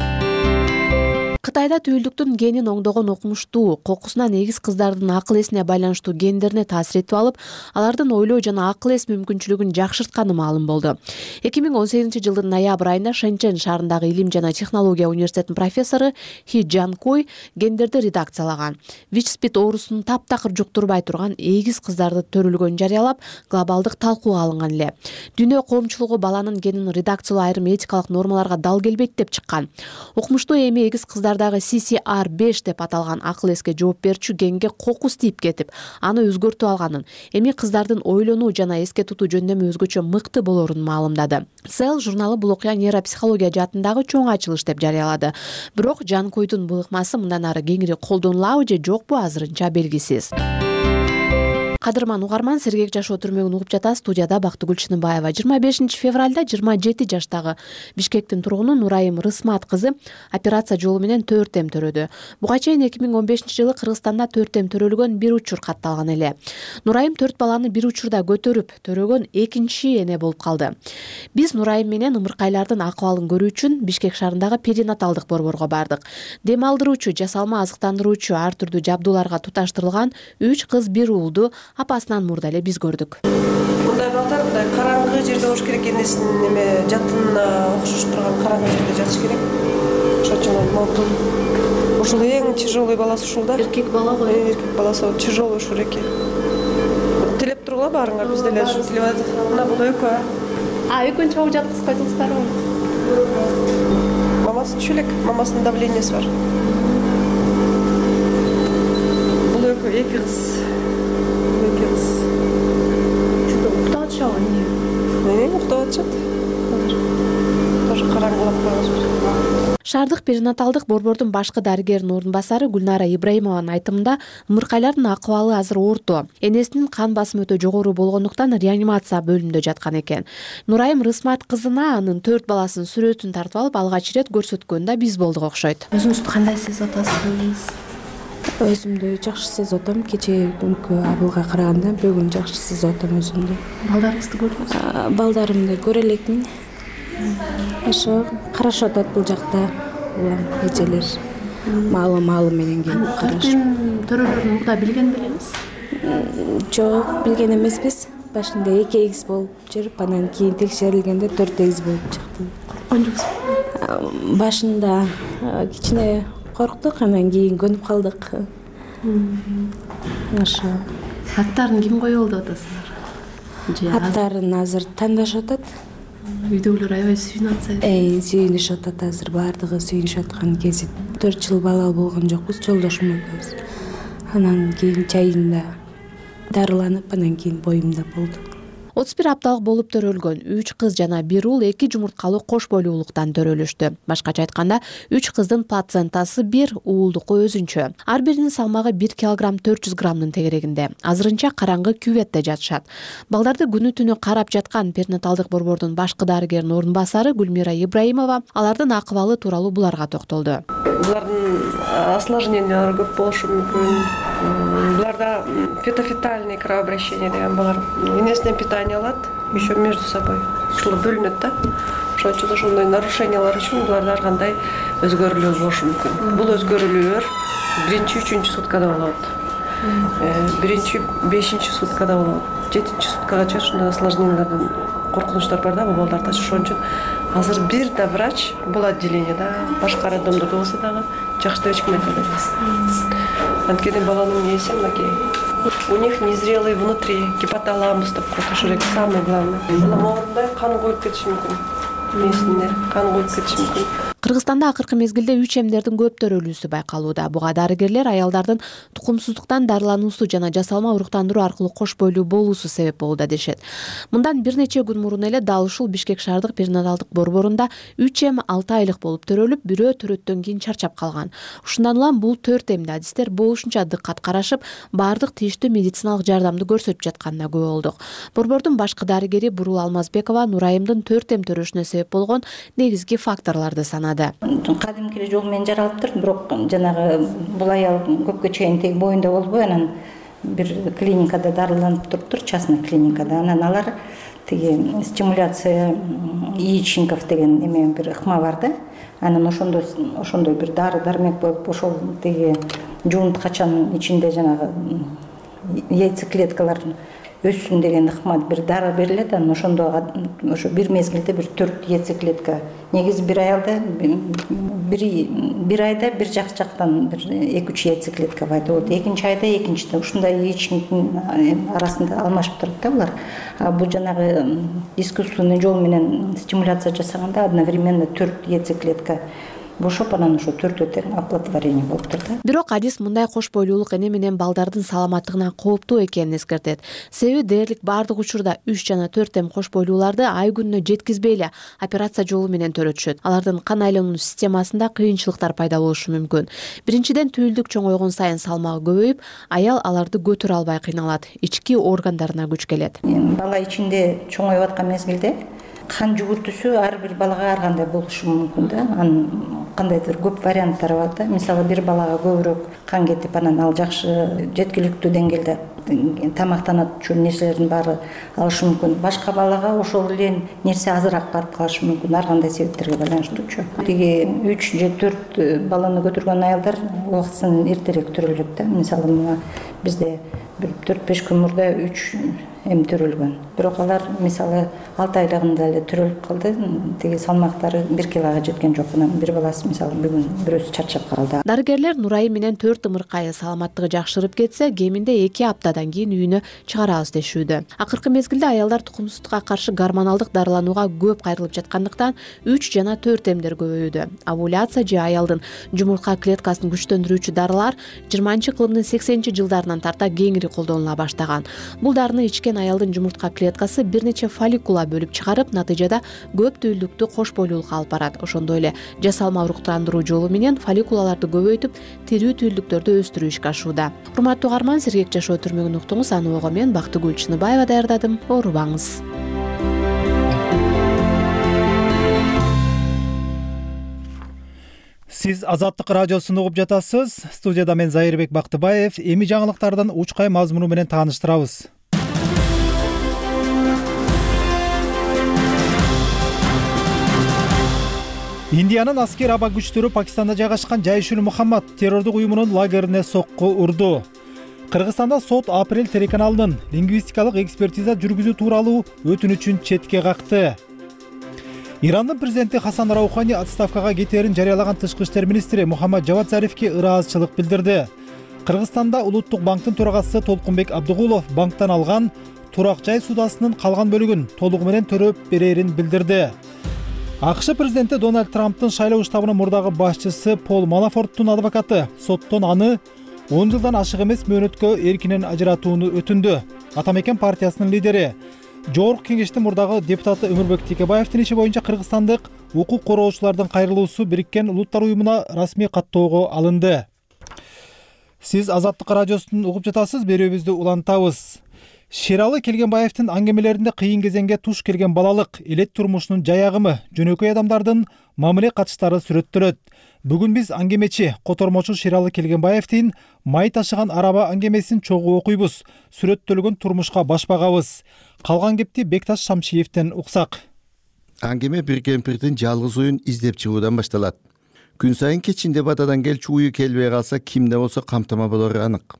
Кытайда түйүлдүктүн генин оңдогон окумуштуу, кокусунан эгиз кыздардын акыл эсине байланыштуу гендерине таасир этип алып, алардын ойлоо жана акыл эс мүмкүнчүлүгүн жакшыртканы маалым болду. 2018-жылдын ноябрь айында Шэньчжэн шаарындагы Илим жана технология университетинин профессору Хи Джанкуй гендерди редакциялаган. ВИЧ-СПИД оорусун таптакыр жуктурбай турган эгиз кыздарды төрөлгөнүн жарыялап, глобалдык талкууга алынган эле. Дүйнө коомчулугу баланын генин редакциялоо айрым этикалык нормаларга дал келбейт деп чыккан. Окумуштуу эми эгиз кыздардагы CCR5 деп аталган акыл эске жооп берүүчү генге кокус тийип кетип, аны өзгөртүп алганын, эми кыздардын ойлонуу жана эске тутуу жөндөмү өзгөчө мыкты болорун маалымдады. Cell журналы бул окуя нейропсихология жаатындагы чоң ачылыш деп жарыялады. Бирок Жанкуйдун бул ыкмасы мындан ары кеңири колдонулабы же жокпу азырынча белгисиз. Кадырман угарман, сергек жашоо түрмөгүн угуп жатасыз. Студияда Бактыгүл Чыныбаева. 25 февралда 27 жаштагы Бишкектин тургуну Нурайым Рысмат кызы операция жолу менен 4 эм төрөдү. Буга чейин 2015-жылы Кыргызстанда 4 эм төрөлгөн бир учур катталган эле. Нурайым 4 баланы бир учурда көтөрүп төрөгөн экинчи эне болуп калды. Биз Нурайым менен ымыркайлардын акыбалын көрүү үчүн Бишкек шаарындагы перинаталдык борборго бардык. Дем алдыруучу, жасалма азыктандыруучу ар түрдүү жабдууларга туташтырылган 3 кыз бир уулду апасынан мурда эле биз көрдүк. Мындай балдар мындай караңгы жерде болуш керек, энесин неме жатынына окшош турган караңгы жерде жатыш керек. Ошон үчүн болду. Ушул эң тяжелый баласы ушул да. Эркек бала го. Эркек баласы тяжелый ушул эки. Тилеп тургула баарыңар, биз деле ушул тилеп атат. Мына бул экөө. Экөөнчү чогуу жаткызып койдуңуздарбы? Мамасы түшүлек, мамасынын давлениеси бар. Бул экөө эки кыз. Уктап атышабы эмне? Уктап атышат. Тоже караңгылап коебуз. Шаардык перинаталдык борбордун башкы дарыгеринин орун басары Гүлнара Ибраимованын айтымында, ымыркайлардын акыбалы азыр орто. Энесинин кан басымы өтө жогору болгондуктан реанимация бөлүмүндө жаткан экен. Нурайым Рысмат кызына анын 4 баласынын сүрөтүн тартып алып, алгач ирет көрсөткөндө биз болдук окшойт. Өзүңүздү кандай сезип атасыз? Өзүмдү жакшы сезип атам. Кечээкүнкү абылга караганда бүгүн жакшы сезип атам өзүмдү. Балдарыңызды көрдүңүзбү? Балдарымды көрө элекмин. Ошо карашып атат бул жакта. Улам эжелер маалы менен келип карашып. Төрөлөрүн мурда билген белеңиз? Жок, билген эмеспиз. Башында 2 эгиз болуп жүрүп, анан кийин текшерилгенде 4 эгиз болуп чыкты. Корккон жоксузбу? Башында кичине корктук, анан кийин көнүп калдык. Ошо. Аттарын ким коюп алды деп атасыздар? Аттарын азыр тандашып атат. Үйдөгүлөр аябай сүйүнүп атса. Сүйүнүшүп атат азыр, баардыгы сүйүнүшүп аткан кези. 4 жыл балалуу болгон жокпуз, жолдошум экөөбүз. Анан кийин чайында дарыланып, анан кийин боюмда болду. 31 апталык болуп төрөлгөн 3 кыз жана 1 уул 2 жумурткалуу кош бойлуулуктан төрөлүштү. Башкача айтканда, 3 кыздын плацентасы 1, уулдуку өзүнчө. Ар биринин салмагы 1 килограмм 400 граммдын тегерегинде. Азырынча караңгы кюветте жатышат. Балдарды күнү түнү карап жаткан перинаталдык борбордун башкы дарыгеринин орун басары Гүлмира Ибраимова алардын акыбалы тууралуу буларга токтолду. Булардын осложнениялары көп болушу мүмкүн. Буларда фетофетальный кровообращение деген бар. Энесинен питание алат, еще между собой. Ушул бөлүнөт да. Ошон үчүн ошондой нарушениялар үчүн буларда ар кандай өзгөрүүлөр болушу мүмкүн. Бул өзгөрүүлөр 1-3 суткада болот. 1-5 суткада болот. 7 суткага ушундай осложнениялардан коркунучтар бар да бул балдарда. Ошон үчүн азыр бир да врач бул отделениеде, башка роддомдордо болсо дагы жакшы деп эчким айта албайбыз. Анткени баланын нээси мынакей. У них незрелый внутри гипоталамус деп коет, ошол эки самое главное. Бала моорундай кан коюп кетиши мүмкүн. Несинде кан коюп кетиши мүмкүн. Кыргызстанда акыркы мезгилде 3 эмдердин көп төрөлүүсү байкалууда. Буга дарыгерлер аялдардын тукумсуздуктан дарылануусу жана жасалма уруктандыруу аркылуу кош бойлуу болуусу себеп болууда дешет. Мындан бир нече күн мурун эле дал ушул Бишкек шаардык перинаталдык борборунда 3 эм 6 айлык болуп төрөлүп, бирөө төрөттөн кийин чарчап калган. Ушундан улам бул 4 эмди адистер болушунча дыккат карашып, баардык тийиштүү медициналык жардамды көрсөтүп жатканына күбө болдук. Борбордун башкы дарыгери Бурул Алмазбекова Нурайымдын 4 эм төрөшүнө себеп болгон негизги факторлорду санады. Кадимки жол менен жаралыптыр, бирок жанагы бул аял көпкө чейин тег боюнда болбой, анан бир клиникада дарыланып туруптур, частный клиникада. Анан алар тиги стимуляция яичников деген эме бир ыкма бар да. Анан ошондой бир дары дармек болуп ошол тиги жуунткачанын ичинде жанагы яйцеклеткалар өссүн деген ыкма бир дары берилет. Анан ошондо ошо бир мезгилде бир 4 яйцеклетка. Негизи бир айда бир жактан бир 2-3 яйцеклетка пайда болот. Экинчи айда экинчиде ушундай яичниктин арасында алмашып турат да булар. Бул жанагы искусственный жол менен стимуляция жасаганда одновременно 4 яйцеклетка бошоп анан ошо 4 тең оплодотворение болуп турат. Бирок адис мындай кош бойлуулук эне менен балдардын саламаттыгына кооптуу экенин эскертет. Себеби дээрлик баардык учурда 3 жана 4 тем кош бойлууларды ай күнүнө жеткизбей эле операция жолу менен төрөтүшөт. Алардын кан айлануу системасында кыйынчылыктар пайда болушу мүмкүн. Биринчиден түйүлдүк чоңойгон сайын салмагы көбөйүп, аял аларды көтөрө албай кыйналат. Ички органдарына күч келет. Бала ичинде чоңоюп аткан мезгилде кан жүгүртүүсү ар бир балага ар кандай болушу мүмкүн да. Анын кандайдыр көп варианттары бар да. Мисалы бир балага көбүрөөк кан кетип, анан ал жакшы жеткиликтүү деңгээлде тамактанат үчүн нерселердин баары алышы мүмкүн. Башка балага ошол эле нерсе азыраак барып калышы мүмкүн, ар кандай себептерге байланыштуучу. Тиги 3 же 4 баланы көтөргөн аялдар убактысын эртерээк төрөлөт да. Мисалы бизде бир 4-5 күн мурда 3 эми төрөлгөн. Бирок алар мисалы 6 айлыгында эле төрөлүп калды. Тиги салмактары 1 килога жеткен жок. Анан бир баласы мисалы бүгүн бирөөсү чарчап калды. Дарыгерлер Нурайым менен 4 ымыркайы саламаттыгы жакшырып кетсе, кеминде 2 аптадан кийин үйүнө чыгарабыз дешүүдө. Акыркы мезгилде аялдар тукумсуздукка каршы гормоналдык дарыланууга көп кайрылып жаткандыктан 3 жана 4 эмдер көбөйүүдө. Овуляция же аялдын жумуртка клеткасын күчтөндүрүүчү дарылар 20-кылымдын 80-жылдарынан тарта кеңири колдонула баштаган. Бул дарыны ичкен аялдын жумуртка клеткасы бир нече фолликула бөлүп чыгарып, натыйжада көп түйүлдүктүү кош бойлуулукка алып барат. Ошондой эле жасалма уруктандыруу жолу менен фолликулаларды көбөйтүп, тирүү түйүлдүктөрдү өстүрүү ишке ашууда. Урматтуу угарман, сергек жашоо түрмөгүн уктуңуз. Аны ого мен Бактыгүл Чыныбаева даярдадым. Оорубаңыз. Сиз Азаттык радиосун угуп жатасыз. Студияда мен Зайырбек Бактыбаев. Эми жаңылыктардан учкай мазмуну менен тааныштырабыз. Индиянын аскер аба күчтөрү Пакистанда жайгашкан Жайшул Мухаммад террордук уюмунун лагерине сокку урду. Кыргызстанда сот апрель телеканалынын лингвистикалык экспертиза жүргүзүү тууралуу өтүнүчүн четке какты. Ирандын президенти Хасан Раухани отставкага кетерин жарыялаган тышкы иштер министри Мухаммад Жавад Зарифке ыраазычылык билдирди. Кыргызстанда Улуттук банктын төрагасы Толкунбек Абдыгулов банктан алган турак жай судасынын калган бөлүгүн толугу менен төрөп берерин билдирди. АКШ президенти Дональд Трамптын шайлоо штабынын мурдагы башчысы Пол Манафорттун адвокаты соттон аны 10 жылдан ашык эмес мөөнөткө эркинен ажыратууну өтүндү. Атамекен партиясынын лидери Жогорку кеңештин мурдагы депутаты Өмүрбек Текебаевдин иши боюнча кыргызстандык укук короочулардын кайрылуусу Бириккен Улуттар уюмуна расмий каттоого алынды. Сиз Азаттык радиосун угуп жатасыз, берүүбүздү улантабыз. Шералы Келгенбаевдин аңгемелеринде кыйын кезеңге туш келген балалык, элет турмушунун жаягымы, жөнөкөй адамдардын мамиле катыштары сүрөттөлөт. Бүгүн биз аңгемечи, котормочу Шералы Келгенбаевдин май ташыган араба аңгемесин чогуу окуйбуз. Сүрөттөлгөн турмушка баш багабыз. Калган кепти Бекташ Шамшиевден уксак. Аңгеме бир кемпирдин жалгыз уюн издеп чыгуудан башталат. Күн сайын кечинде батадан келчү уyu келбей калса кимде болсо камтама болору анык.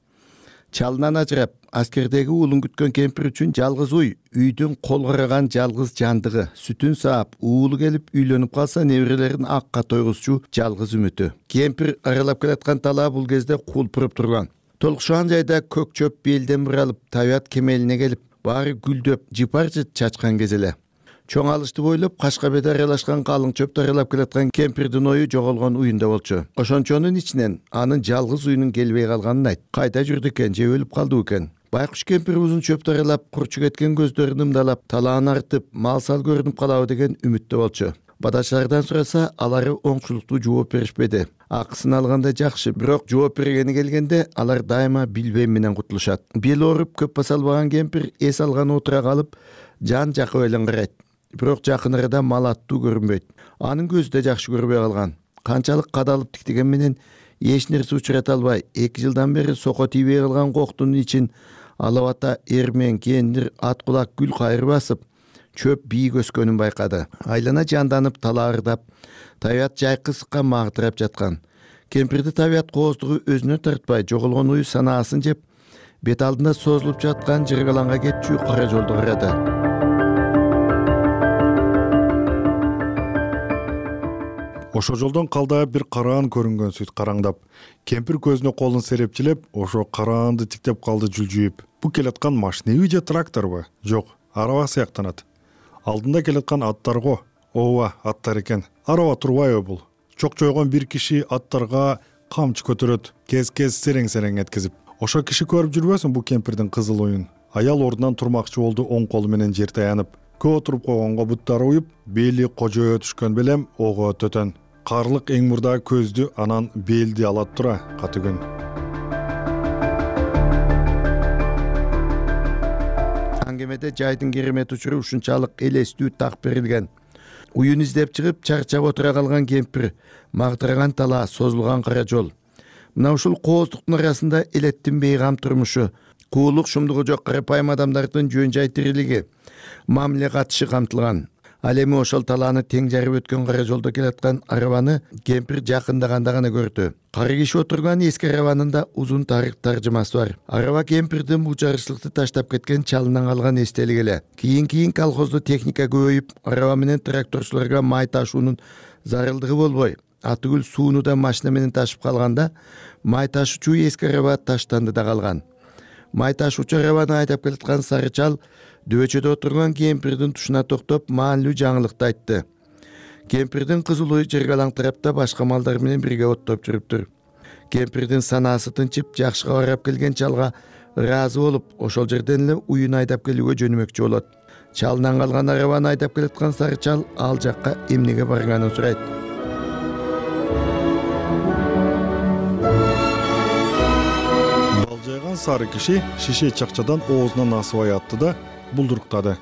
Чалынан ажырап, аскердеги уулун күткөн кемпир үчүн жалгыз үйдүн кол караган жалгыз жандыгы, сүтүн саап, уулу келип үйлөнүп калса неберелерин акка тойгузчу жалгыз үмүтү. Кемпир аралап келаткан талаа бул кезде кулпуруп турган. Толкушан жайда көк чөп белден буралып, табият кемелине келип, баары гүлдөп, жыпарчы чачкан кез эле. Чоң алышты бойлоп, кашка бет аралашкан калың чөптү аралап келаткан кемпирдин ою жоголгон уюнда болчу. Ошончонун ичинен анын жалгыз уюнун келбей калганын айт. Кайда жүрдү экен, же өлүп калды экен? Байкуш кемпир узун чөптү аралап, курчу кеткен көздөрүн ымдалап, талааны артып, мал-сал көрүнүп калабы деген үмүттө болчу. Бадачлардан сураса, алары оңчулуктуу жооп беришпеди. Акысын алганда жакшы, бирок жооп бергени келгенде алар дайыма билбем менен кутулушат. Бели ооруп көп баса албаган кемпир эс алган отура калып, жан жакы элен карайт. Бирок жакын арада мал аттуу көрүнбөйт. Анын көзү да жакшы көрбөй калган. Канчалык кадалып тиктеген менен эч нерсе учурата албай, 2 жылдан бери сoko тийбей калган коктун ичин алап ата, эрмен, кендир, ат кулак, гүл кайыр басып, чөп бийик өскөнүн байкады. Айлана жанданып талаардап, табият жайкы ысыкка магдырап жаткан. Кемпирди табият кооздугу өзүнө тартпай, жоголгон ую санаасын жеп, бет алдында созулуп жаткан жыргаланга кетчү кара жолду карады. Ошо жолдон калдайып бир караан көрүнгөн сүт караңдап. Кемпир көзүнө колун серепчилеп, ошо караанды тиктеп калды жүлжүйүп. Бу келаткан машинеби же тракторбу? Жок, араба сыяктанат. Алдында келаткан аттар го. Ооба, аттар экен. Араба турбайбы бул? Чок-чойгон бир киши аттарга камчы көтөрөт, кез-кез серең-серең эткизип. Ошо киши көрүп жүрбөсүн бу кемпирдин кызыл оюн. Аял ордунан турмакчы болду, оң колу менен жер таянып. Көп отуруп койгонго буттары уюп, бели кожоё түшкөн белем ого төтөн. Карлык эң мурда көздү, анан белди алат тура, каты күн. Аңгемеде жайдын керемет учуру ушунчалык элестүү так берилген. Уюн издеп чыгып, чарчап отура калган кемпир, магдыраган талаа, созулган кара жол. Мына ушул кооздуктун арасында элеттин бейгам турмушу, куулук шумдугу жок карапайым адамдардын жөн жай тирилиги, мамиле катышы камтылган. Ал эми ошол талааны тең жарып өткөн кара жолдо келаткан арабаны кемпир жакындаганда гана көрдү. Кары киши отурган эски арабанында узун тарых таржымасы бар. Араба кемпирдин бул жарышлыкты таштап кеткен чалынан калган эстелик эле. Кийин колхозду техника көбөйүп, араба менен тракторчуларга май ташуунун зарылдыгы болбой, атыгүл сууну да машина менен ташып калганда, май ташуучу эски араба таштанды да калган. Май ташуучу арабаны айдап келаткан сары чал дөбөчөдө отурган кемпирдин тушуна токтоп, маанилүү жаңылыкты айтты. Кемпирдин кызыл уyu жыргалаң тарапта башка малдар менен бирге оттоп жүрүптүр. Кемпирдин санаасы тынчып, жакшыга карап келген чалга ыраазы болуп, ошол жерден эле уюн айдап келүүгө жөнөмөкчү болот. Чалынан калган арабаны айдап келаткан сары чал ал жакка эмнеге барганын сурайт. Балжайган сары киши шише чакчадан оозунан асыбай атты да булдуруктады.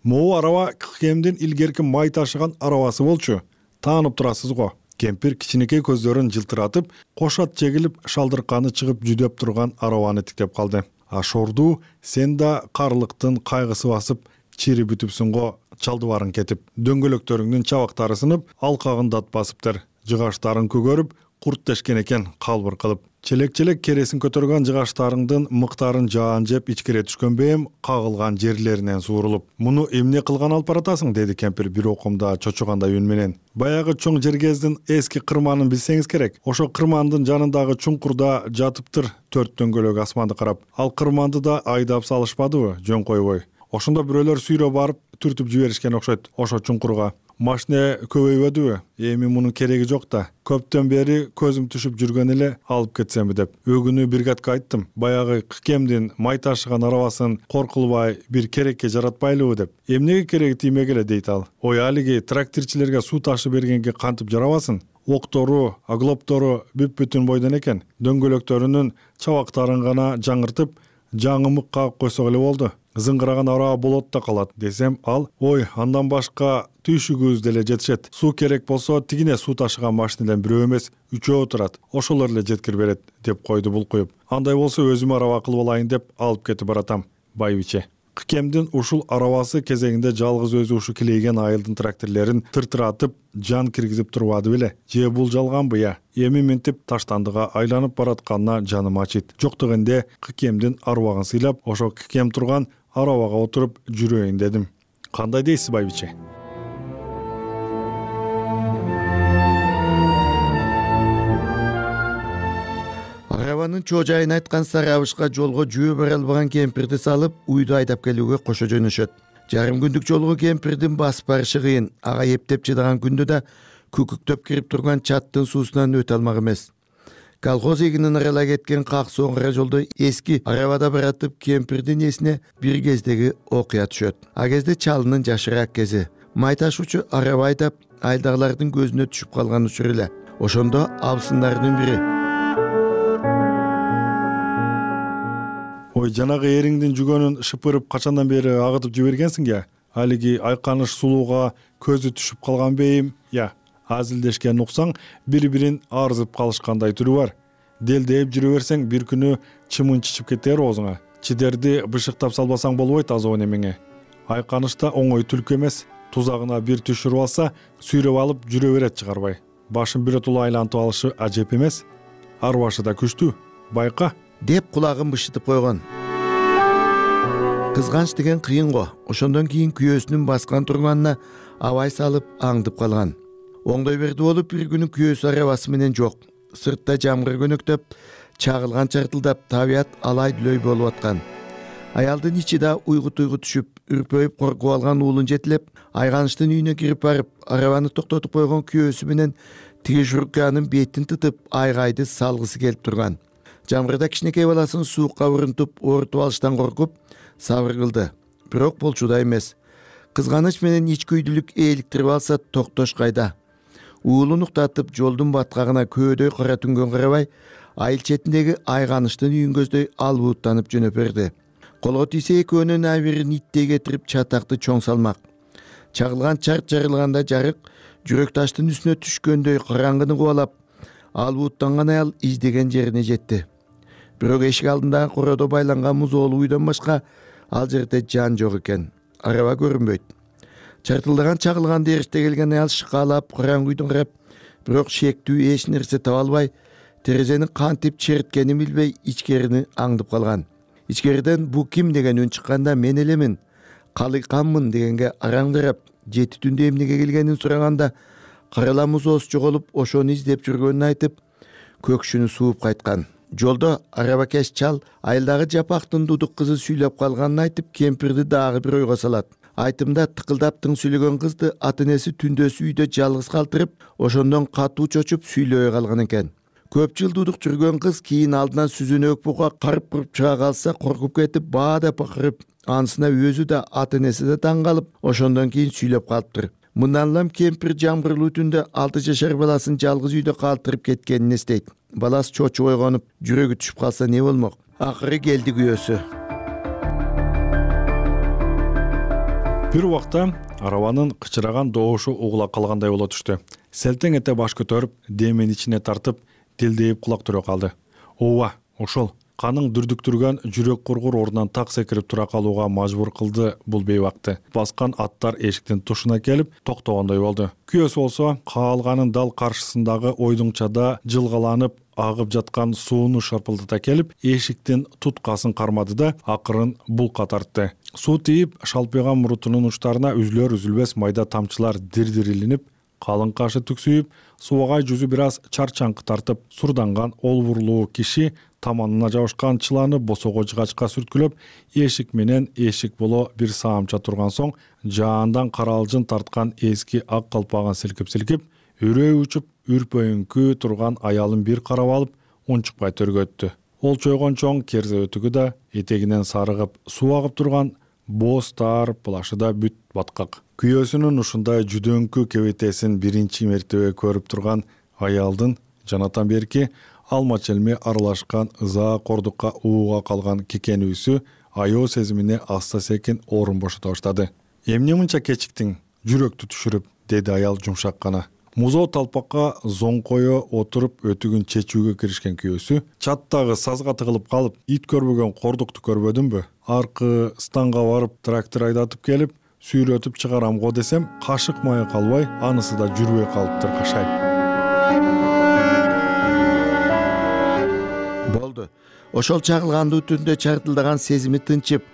Могу араба кемдин илгерки май ташыган арабасы болчу. Таанып турасыз го. Кемпир кичинекей көздөрүн жылтыратып, кошат жегилип, шалдырканы чыгып жүдөп турган арабаны тиктеп калды. Ашорду, сен да карлыктын кайгысы басып, чири бүтүпсүң го, чалдыбарың кетип. Дөңгөлөктөрүңдүн чабактары сынып, алкагын дат басыптыр. Жыгаштарын көгөрүп, курт тешкен экен калбыр кылып. Челек-челек кересин көтөргөн жыгаштарыңдын мыктарын жаан жеп ичкире түшкөн бейим кагылган жерлеринен суурулуп. Муну эмне кылган алып баратасың, деди кемпир бир окумда чочогандай үн менен. Баягы чоң жергездин эски кырманын билсеңиз керек. Ошо кырмандын жанындагы чуңкурда жатыптыр 4 дөңгөлөк асманды карап. Ал кырманды да айдап салышпадыбы, жөн койбой. Ошондо бирөөлөр сүйрөп барып түртүп жиберишкен окшойт ошо чуңкурга. Машина көбөйбөдүбү? Эми мунун кереги жок да. Көптөн бери көзүм түшүп жүргөн эле алып кетсемби деп. Өгүнү бригадка айттым. Баягы кемдин май ташыган арабасын коркулбай бир керекке жаратпайлыбы деп. Эмнеге кереги тиймегиле дейт ал. Ой, алиги тракторчилерге суу ташып бергенге кантип жарабасын? Октору, аглоптору бүп-бүтүн бойдон экен. Дөңгөлөктөрүнүн чабактарын гана жаңыртып, жаңымык кагып койсок эле болду. Зыңгыраган араба болот да калат десем, ал ой, андан башка түйшүгүбүз деле жетишет. Суу керек болсо тигине суу ташыган машинеден бирөө эмес, 3 турат. Ошолор эле жеткирип берет деп койду булкуюп. Андай болсо өзүм араба кылып алайын деп алып кетип баратам. Байбиче. Кемдин ушул арабасы кезегинде жалгыз өзү ушу килейген айылдын тракторлорун тыртыратып, жан киргизип турбады беле? Же бул жалганбы я? Эми мынтип таштандыга айланып баратканына жаным ачыйт. Жок дегенде кемдин арбагын сыйлап, ошо кем турган арабага отуруп жүрөйүн дедим. Кандай дейсиз, байбиче? Арабанын чожайын айткан сары абышка жолго жөө бара албаган кемпирди салып, уйду айдап келүүгө кошо жөнөшөт. Жарым күндүк жолго кемпирдин басып барышы кыйын. Ага эптеп чыдаган күндө да күкүктөп кирип турган чаттын суусунан өтө алмак эмес. Колхоз эгинин аралай кеткен как соңгара жолдо эски арабада баратып кемпирдин эсине бир кездеги окуя түшөт. А кезде чалынын жашыраак кези. Май ташуучу араба айдап айдагылардын көзүнө түшүп калган учур эле. Ошондо абысындардын бири: ой, жанагы эриңдин жүгөнүн шыпырып качандан бери агытып жибергенсиң я? Алиги айканыш сулууга көзү түшүп калган бейим я? Азилдешкен уксаң, бири-бирин арзып калышкандай түрү бар. Делдейип жүрө берсең, бир күнү чымын чичип кетер оозуңа. Чидерди бышыктап салбасаң болбойт азабы немеңе. Айканышта оңой түлкү эмес. Тузагына бир түшүрүп алса, сүйрөп алып жүрө берет чыгарбай. Башын биротоло айлантып алышы ажеп эмес. Ар башы да күчтүү. Байка деп кулагын бышытып койгон. Кызганыч деген кыйын го. Ошондон кийин күйөөсүнүн баскан турганына абай салып аңдып калган. Оңдой берди болуп бир күнү күйөөсү арабасы менен жок. Сыртта жамгыр көнөктөп, чагылган чартылдап, табият алай-дүлөй болуп аткан. Аялдын ичи да уйгу-туйгу түшүп, үрпөйүп коркуп алган уулун жетилеп, Айганыштын үйүнө кирип барып, арабаны токтотуп койгон күйөөсү менен тиги журканын бетин тытып, айгайды салгысы келип турган. Жамгырда кичинекей баласын суукка урунтуп, оорутуп алыштан коркуп, сабыр кылды. Бирок болчу да эмес. Кызганыч менен ичкүйдүлүк ээликтирип алса токтош кайда? Уулун уктатып, жолдун баткагына көөдөй кара түнгөн карабай, айыл четиндеги Айганыштын үйүн көздөй албууттанып жөнөп берди. Колго тийсе экөөнүн абирин иттей кетирип чатакты чоң салмак. Чагылган чарт жарылганда жарык, жүрөк таштын үстүнө түшкөндөй караңгыны кубалап, албууттанган аял издеген жерине жетти. Бирок эшик алдындагы кородо байланган музоолуу үйдөн башка ал жерде жан жок экен. Араба көрүнбөйт. Чартылдаган чагылган дээриште келген аял шыкаалап, караңгы үйдөн карап, бирок шектүү эч нерсе таба албай, терезени кантип черткенин билбей ичкерини аңдып калган. Ичкериден бу ким деген үн чыкканда мен элемин, калыйканмын дегенге араңдырап, жети түндө эмнеге келгенин сураганда, карала музоосу жоголуп, ошону издеп жүргөнүн айтып, көкшүнү сууп кайткан. Жолдо арабакеш чал айылдагы жапактын дудук кызы сүйлөп калганын айтып, кемпирди дагы бир ойго салат. Айтымда тыкылдап тың сүйлөгөн кызды ата-энеси түндөсү үйдө жалгыз калтырып, ошондон катуу чочуп сүйлөбөй калган экен. Көп жыл дудук жүргөн кыз кийин алдынан сүзүнөк буга карып куруп чыга калса, коркуп кетип, баада бакырып, анысына өзү да ата-энеси да таң калып, ошондон кийин сүйлөп калыптыр. Мындан улам кемпир жамгырлуу түндө 6 жашар баласын жалгыз үйдө калтырып кеткенин эстейт. Баласы чочуп ойгонуп, жүрөгү түшүп калса не болмок? Акыры келди күйөөсү. Бир убакта арабанын кычыраган добушу угула калгандай боло түштү. Селтең эте баш көтөрүп, демин ичине тартып, делдейип кулак түрө калды. Ооба, ошол. Каның дүрдүктүргөн жүрөк кургур ордунан так секирип тура калууга мажбур кылды бул бейбакты. Баскан аттар эшиктин тушуна келип токтогондой болду. Күйөөсү болсо каалганын дал каршысындагы ойдуңчада жылгаланып агып жаткан сууну шарпылдата келип, эшиктин туткасын кармады да акырын булка тартты. Суу тийип, шалпыйган мурутунун учтарына үзүлөр-үзүлбес майда тамчылар дир-дир илинип, калың кашы түксүйүп, субагай жүзү бир аз чарчаңкы тартып, сурданган олбурлуу киши таманына жабышкан чыланы босого жыгачка сүрткүлөп, эшик менен эшик боло бир саамча турган соң, жаандан каралжын тарткан эски ак калпагын силкип-силкип, үрөө учуп, үрпөйүңкү турган аялын бир карап алып, унчукпай төргөттү. Ол чойгон чоң керзе өтүгү да, этегинен сарыгып, суу агып турган боз таар плашы да бүт баткак. Күйөөсүнүн ушундай жүдөңкү кебетесин биринчи мертебе көрүп турган аялдын жанатан берки алма челме аралашкан ыза кордукка ууга калган кекенүүсү аябуу сезимине аста секин орун бошото баштады. Эмне мынча кечиктиң, жүрөктү түшүрүп, деди аял жумшак гана. Музоо талпакка зоңкое отуруп өтүгүн чечүүгө киришкен күйөөсү чаттагы сазга тыгылып калып, ит көрбөгөн кордукту көрбөдүмбү? Аркы станга барып трактор айдатып келип, сүйрөтүп чыгарам го десем, кашык мая калбай, анысы да жүрбөй калыптыр кашайып. Болду. Ошол чагылгандуу түндө чартылдаган сезими тынчып,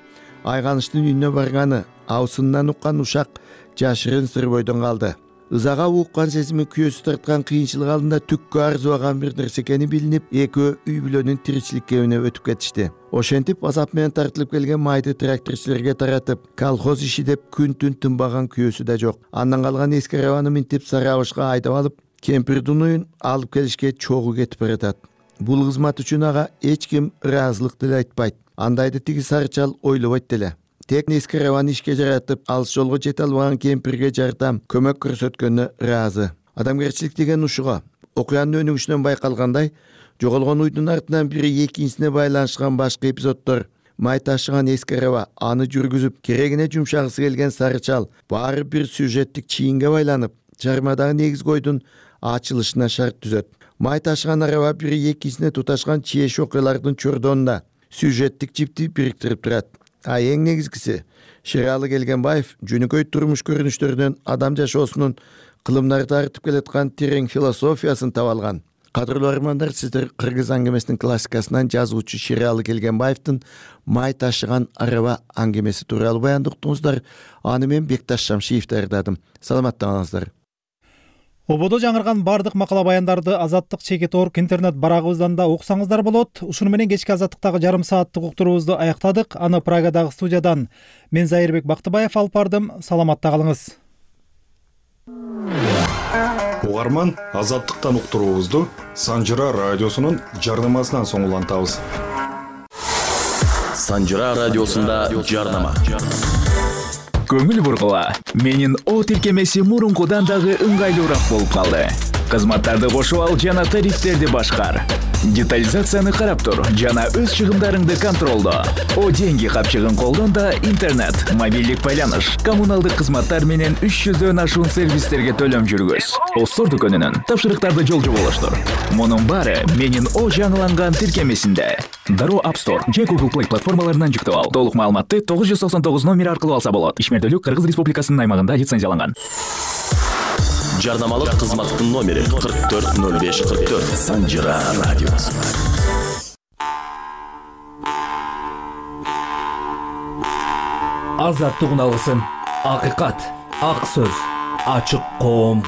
Айганыштын үйүнө барганы, аусындан уккан ушак жашырын сыр бойдон калды. Ызага уккан сезими күйөөсү тарткан кыйынчылык алдында түккө арзыбаган бир нерсе экени билинип, экөө үй бүлөнүн тиричилик кебине өтүп кетишти. Ошентип азап менен тартылып келген майды тракторчуларга таратып, колхоз иши деп күн-түн тынбаган күйөөсү да жок. Андан калган эски арабаны минтип Сарабышка айдап алып, кемпирдин уюн алып келишке чогуу кетип баратат. Бул кызмат үчүн ага эч ким ыраазылык деле айтпайт. Андайды тиги сарычал ойлобойт деле. Тек эски арабаны ишке жаратып, алыс жолго жете албаган кемпирге жардам, көмөк көрсөткөнүнө ыраазы. Адамгерчилик деген ушуга. Окуянын өнүгүшүнөн байкалгандай, жоголгон уйдун артынан бири экинчисине байланышкан башка эпизоддор, май ташыган эски араба, аны жүргүзүп, керегине жумшагысы келген сарычал, баары бир сюжеттик чийинге байланып, чармадагы негизги ойдун ачылышына шарт түзөт. Май ташыган араба бири экинчисине туташкан чиеш окуялардын чордонунда сюжеттик жипти бириктирип турат. эң негизгиси Шералы Келгенбаев жөнөкөй турмуш көрүнүштөрүнөн адам жашоосунун кылымдарды артып келаткан терең философиясын таба алган. Кадырлуу армандар, сиздер кыргыз аңгемесинин классикасынан жазуучу Шералы Келгенбаевдин май ташыган араба аңгемеси тууралуу баянды уктуңуздар. Аны мен Бекташ Шамшиев даярдадым. Саламаттаңыздар. Ободо жаңырган бардык макала баяндарды Азаттык Чекет.орг интернет барагыбыздан да окусаңыздар болот. Ушуну менен кечки Азаттыктагы жарым сааттык уктуруубузду аяктадык. Аны Прагадагы студиядан мен Зайырбек Бактыбаев алып бардым. Саламатта калыңыз. Угарман, Азаттыктан уктуруубузду Санжыра радиосунун жарнамасынан соң улантабыз. Санжыра радиосунда жарнама. Көңүл бургула. Менин О тиркемеси мурункудан дагы ыңгайлуураак болуп калды. Кызматтарды кошуп ал жана тарифтерди башкар. Детализацияны карап тур жана өз чыгымдарыңды контролдо. О деньги капчыгын колдон да интернет, мобилдик байланыш, коммуналдык кызматтар менен 300дөн ашуун сервистерге төлөм жүргүз. Остор дүкөнүнүн тапшырыктарды жолжу болуштур. Мунун баары менин О жаңыланган тиркемесинде. Дароо App Store же Google Play платформаларынан жүктөп ал. Толук маалыматты 999 номер аркылуу алса болот. Ишмердүүлүк Кыргыз Республикасынын аймагында лицензияланган. Жарнамалык кызматтын номери 440544. Санжыра радиосу. Азаттык уналысын. Акыйкат, ак сөз, ачык коом.